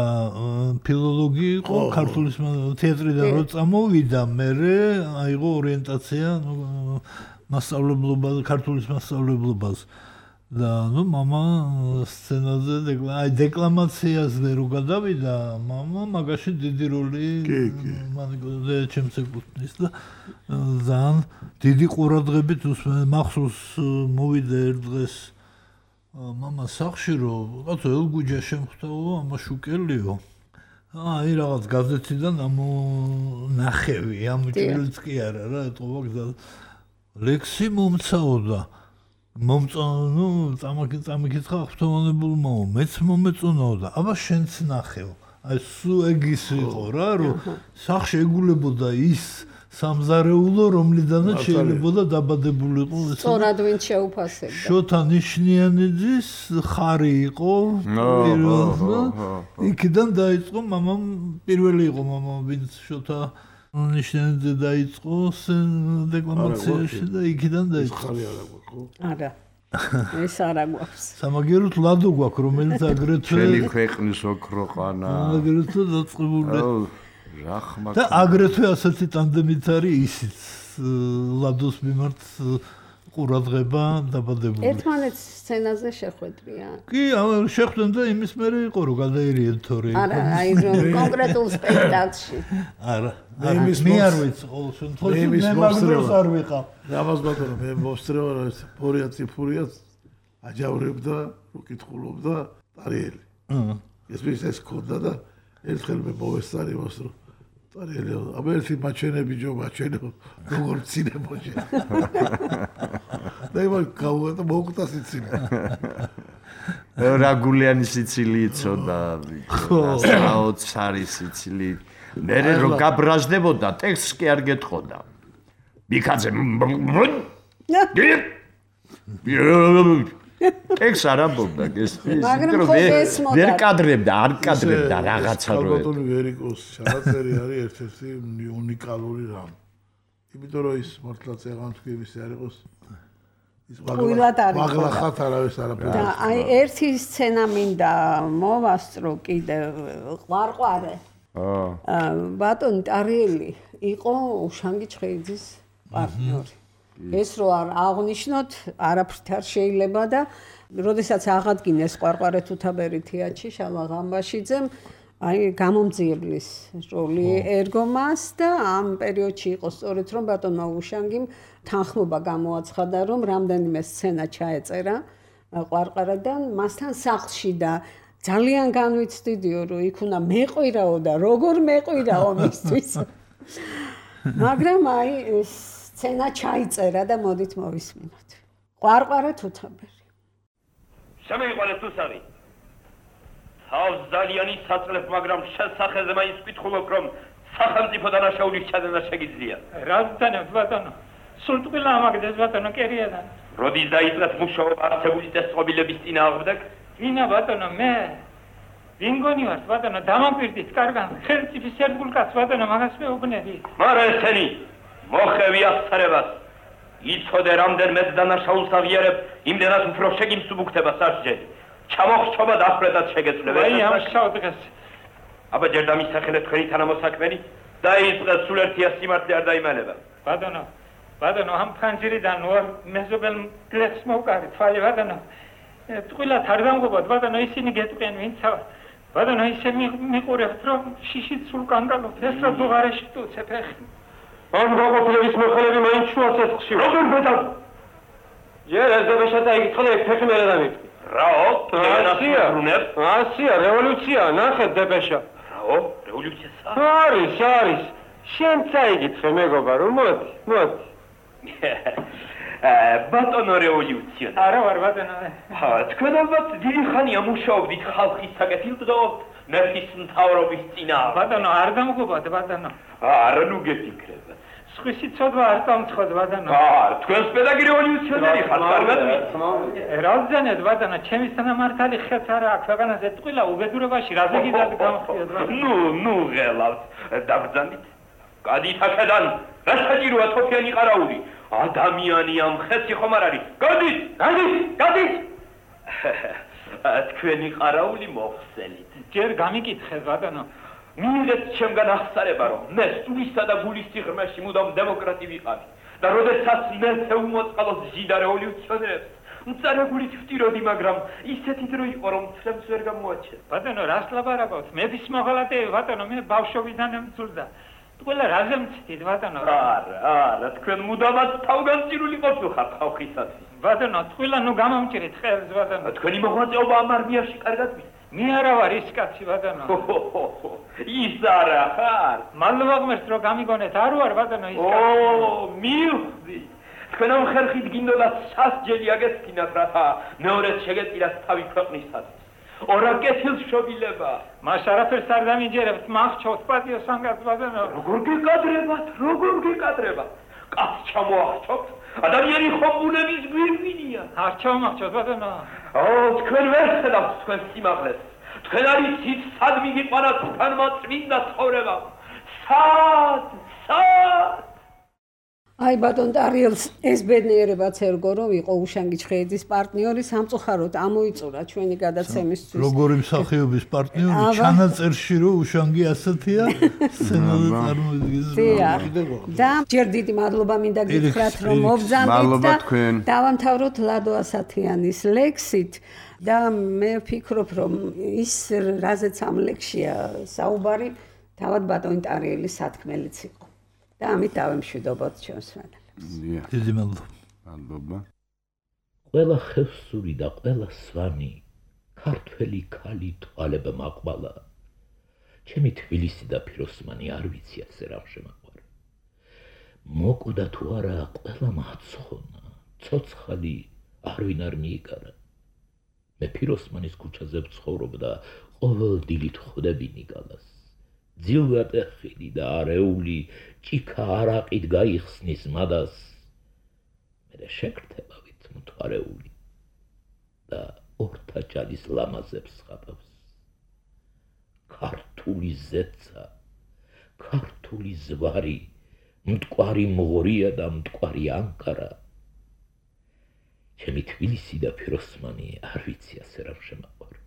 ფილოლოგი იყო, ქართული თეატრიდან რო წამოვიდა, მერე აიღო ორიენტაცია მასწავლებლობას, ქართულის მასწავლებლობას. და მამა სცენაზე დეკლამაციაზე რო გადავიდა, მამა მაგაში დიდი როლი მანიკოზე ჩემს ეკუთვნის და ძალიან დიდი ყურადღებით მახსოვს მოვიდა ერთ დღეს მამა სახში რომ რაღაცა ელგუჯა შემხვდაო ამაშუკელიო. აი რაღაც გაზეთიდან ამონახევი, ამჭრილიც კი არა რა, ეთყობა გზა. ლექსი მომცაოდა. წამიკითხა ახთოვანებულმაო, მეც მომეწონაო და აბა შენც ნახევ. აი სულ ეგ ის იყო რა, რომ სახში ეგულებოდა ის სამზარეულო, რომლიდანაც შეიძლებოდა დაბადებულიყო ეს. სწორად ვინ შეუფასებდა. შოთა ნიშნიანიძის ხარი იყო. იქიდან დაიწყო მამამ, პირველი იყო მამა, ვინც შოთა ნიშნიანიძე დაიწყო დეკლამაციაში და იქიდან დაიწყო. ხარი არა გვაქვს ხო? არა. ეს არა გვაქვს. სამაგეროთ ლადო გვაქვს, რომელიც აგრეთვე ჩვენი ქვეყნის ოქროყანა. აგრეთვე დაწყებული. რახმა და აგრეთვე ასეთი ტანდემით არის ისიც ლადოს მიმართ ყურადღება დაბადებული. ერთმანეთს სცენაზე შეხვედრიან. კი, შეხვდნენ და იმის მერე იყო რომ გადაერიენ თორე. არა, აი რომ კონკრეტულ სპექტაკლში. არა, მე არ ვიცი ყოველ შემთხვევაში მე მაგდროს არ ვიყავ. რამაზ ბატონო, მე მოსწრევა რა ეს ფორია ციფურია აჯავრებდა, უკითხულობდა ტარიელი. ეს ის ქონდა და ერთხელ მე მოვესწარი მას რომ ტარიელი აბა ერთი მაჩვენები ჯო მაჩვენო როგორ ცინებოჯე. და იმან გავუღა მოუკდა სიცილი. რა გულიანი სიცილი იცოდა. საოცარი სიცილი. მე რომ გაბრაზდებოდა ტექსტს კი არ გეტყოდა. მიქაძე ტექს არ ამბობდა გესმის, მაგრამ ვერ კადრებდა, არ კადრებდა რაღაცა რო. ბატონი ვერიკოს ჩანაწერი არის ერთ-ერთი უნიკალური რამ. იმიტომ რომ ის მართლაც ეღანთქვიების არ იყოს. ის მაგლახათ არავის არაფერი. და აი ერთი სცენა მინდა მოვასწრო კიდე ყვარყვარე. ბატონი ტარიელი იყო უშანგი ჩხეიძის პარტნიორი. ეს რო არ აღნიშნოთ, არაფრით არ შეიძლება და როდესაც აღადგინეს ყვარყვარე თუთაბერი თეატრში შალვა ღამბაშიძემ, აი გამომძიებლის როლი ერგო მას და ამ პერიოდში იყო სწორედ რომ ბატონმა უშანგიმ თანხმობა გამოაცხადა, რომ რამდენიმე სცენა ჩაეწერა ყვარყვარედან მასთან სახლში და ძალიან განვიცდიდიო, რომ იქ უნდა მეყვირაო და როგორ მეყვირაო მისთვის. მაგრამ აი სცენა ჩაიწერა და მოდით მოვისმინოთ. ყვარყვარე თუთაბერი. შემეიყვანეთ თუსავი. თავს ძალიან იცაცხლებ, მაგრამ შესახეზე მაინც ვკითხულობ, რომ სახელმწიფო დანაშაულის ჩადენა შეგიძლია. რა ვთანებთ ბატონო? სულ ტყილა ამაგდეს ბატონო კერიადან. როდის დაიწყეთ მუშაობა არსებული წესწყობილების წინააღმდეგ? ვინა ბატონო მე ვინგონი ვარ ბატონო დამამკვირდით კარგან ხელმწიფის ერთგულ კაცს ბატონო მაგას მეუბნები მარა ესენი მოხევი აღსარებას იცოდე რამდენმეც დანაშაულს აღიარებ იმდენად უფრო შეგიმსუბუქდება სასჯელი ჩამოხრჩობა დახრედად შეგეძლება აი ამ შავ დღეს აბა ჯერ დამისახელეთ თქვენი თანამოსაქმენი დაიწყეთ სულ ერთია სიმართლე არ დაიმალება ბატონო ამ ფანჯრიდან ვარ მეზობელ გლეხს მოვკარით თვალი ბატონო ტყილად არ დამღობოთ ბატონო ისინი გეტყვიან ვინცა ბატონო ისე მიყურებთ რომ შიშით სულ კანკალობთ ეს რა დუღარეში ტუცებ ეხი ამ გაყოფილების მოხელები მაინც შუა ცეცხლში როგორ ბედავ ჯერ ეს დაბეშათა იკითხე ფეხი მერე დამიწყი რაო ასია რევოლუცია ნახეთ დაბეშა რაო რევოლუცია არის შენ წაიკითხე მეგობა რომ მოდი ბატონო რევოლუცია არა ვარ ბატონო თქვენ ალბათ დიდი ხანია მუშაობდით ხალხის საკეთილდღეობთ მეფის მთავრობის წინააღმდეგ ბატონო არ დამღობათ ბატონო არა ნუ გეტიკრება სხვისი ცოდვა არ დამცხოთ ბატონო თქვენს პედაგი რევოლუციონერი ხართ კარგად რაძენეთ ბატონო ჩემი თანამართალი ხეც არა აქვს ქვეყანაზე ტყილა უბედურებაში რაზე გიდათ გამხდიოთ ბატონო ნუ ღელავთ დაბრძანდით გადით აქედან რა საჭიროა თოფიანი ყარაული ადამიანი ამ ხეცი ხომ არ არის გადით თქვენი ყარაული მოხსენით ჯერ გამიკითხეთ ბატონო მიიღეთ ჩემგან აღსარება რომ მე სულისა და გულის სიღრმეში მუდამ დემოკრატი ვიყავი და როდესაც მე უმოწყალოს ჟიდა რევოლუციონერებს მწარე გულით ვტიროდი მაგრამ ისეთი დრო იყო რომ ცრემს ვერ გამოაჩენ ბატონო რას ლაპარაკობთ მეფის მოღალატეები ბატონო მე ბავშვობიდან მძულდა ყველა რაზე მცდით ბატონო არა თქვენ მუდამად თავგანწირული ყოფილხართ ხალხისათვის ბატონო თქვენ ნუ გამომჭრით ხელს ბატონო თქვენი მოღვაწეობა ამ არმიაში კარგად ვიცით მე არა ვარ ის კაცი ბატონო ის არა ხარ მალვა ღმერთს რომ გამიგონეთ არ ვარ ბატონო ის კაცი მივხვდი თქვენ ამ ხერხით გინდოდა სასჯელი აგესკინათ რათა მეორეც შეგეწირათ თავი ქვეყნისათვის ორა კეთილს შობილება მას არაფერს არ დამიჯერებთ მახჩოთ პატიო სანგაც ბატონო როგორ გეკადრებათ კაც ჩამოახჩოთ ადამიანი ხომ ბუნების გვირგვინია არ ჩამოახჩოთ ბატონო თქვენ ვერ ხედავთ თქვენ სიმაღლეს თქვენ არიცით სად მიგიყვანათ თქვენმა წმინდა ცხოვრება სად აი ბატონ ტარიელს ეს ბედნიერებაც ერგო რომ იყო უშანგი ჩხეიძის პარტნიორი სამწუხაროდ ამოიწურა ჩვენი გადაცემისთვის როგორი მსახიობის პარტნიორი ჩანაწერში რომ უშანგი ასეთია სცენაზე წარმოიდგინეს და ჯერ დიდი მადლობა მინდა გითხრათ რომ მობრძანდით და დავამთავროთ ლადო ასათიანის ლექსით და მე ვფიქრობ რომ ის რაზეც ამ ლექსია საუბარი თავად ბატონ ტარიელის სათქმელიც იყო და ამით დავემშვიდობოთ ჩვენს მადლობას. დიდი მადლობა. ყველა ხევსური და ყველა სვანი ქართველი ქალი თვალება მაყვალა. ჩემი თბილისი და ფიროსმანი არ ვიცი ასე რა შემაყვარა. მოკვდა თუ არა ყველა მაცხონა, ცოცხალი არვინ არ მიიგარა. მე ფიროსმანის ქუჩაზე ვცხოვრობდა ყოველ დილით ხვდები ნიკალას. ძილვატეხილი და არეული ჭიქა არაყით გაიხსნის მადას მე შეკრთებავით მთვარეული და ორთა ჭალის ლამაზებს ხაპავს ქართული ზეცა ქართული ზვარი მტკვარი მღორია და მტკვარი ანკარა ჩემი თბილისი და ფიროსმანი არ ვიცი ასე რა შემაყვარა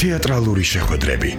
თეატრალური შეხვედრები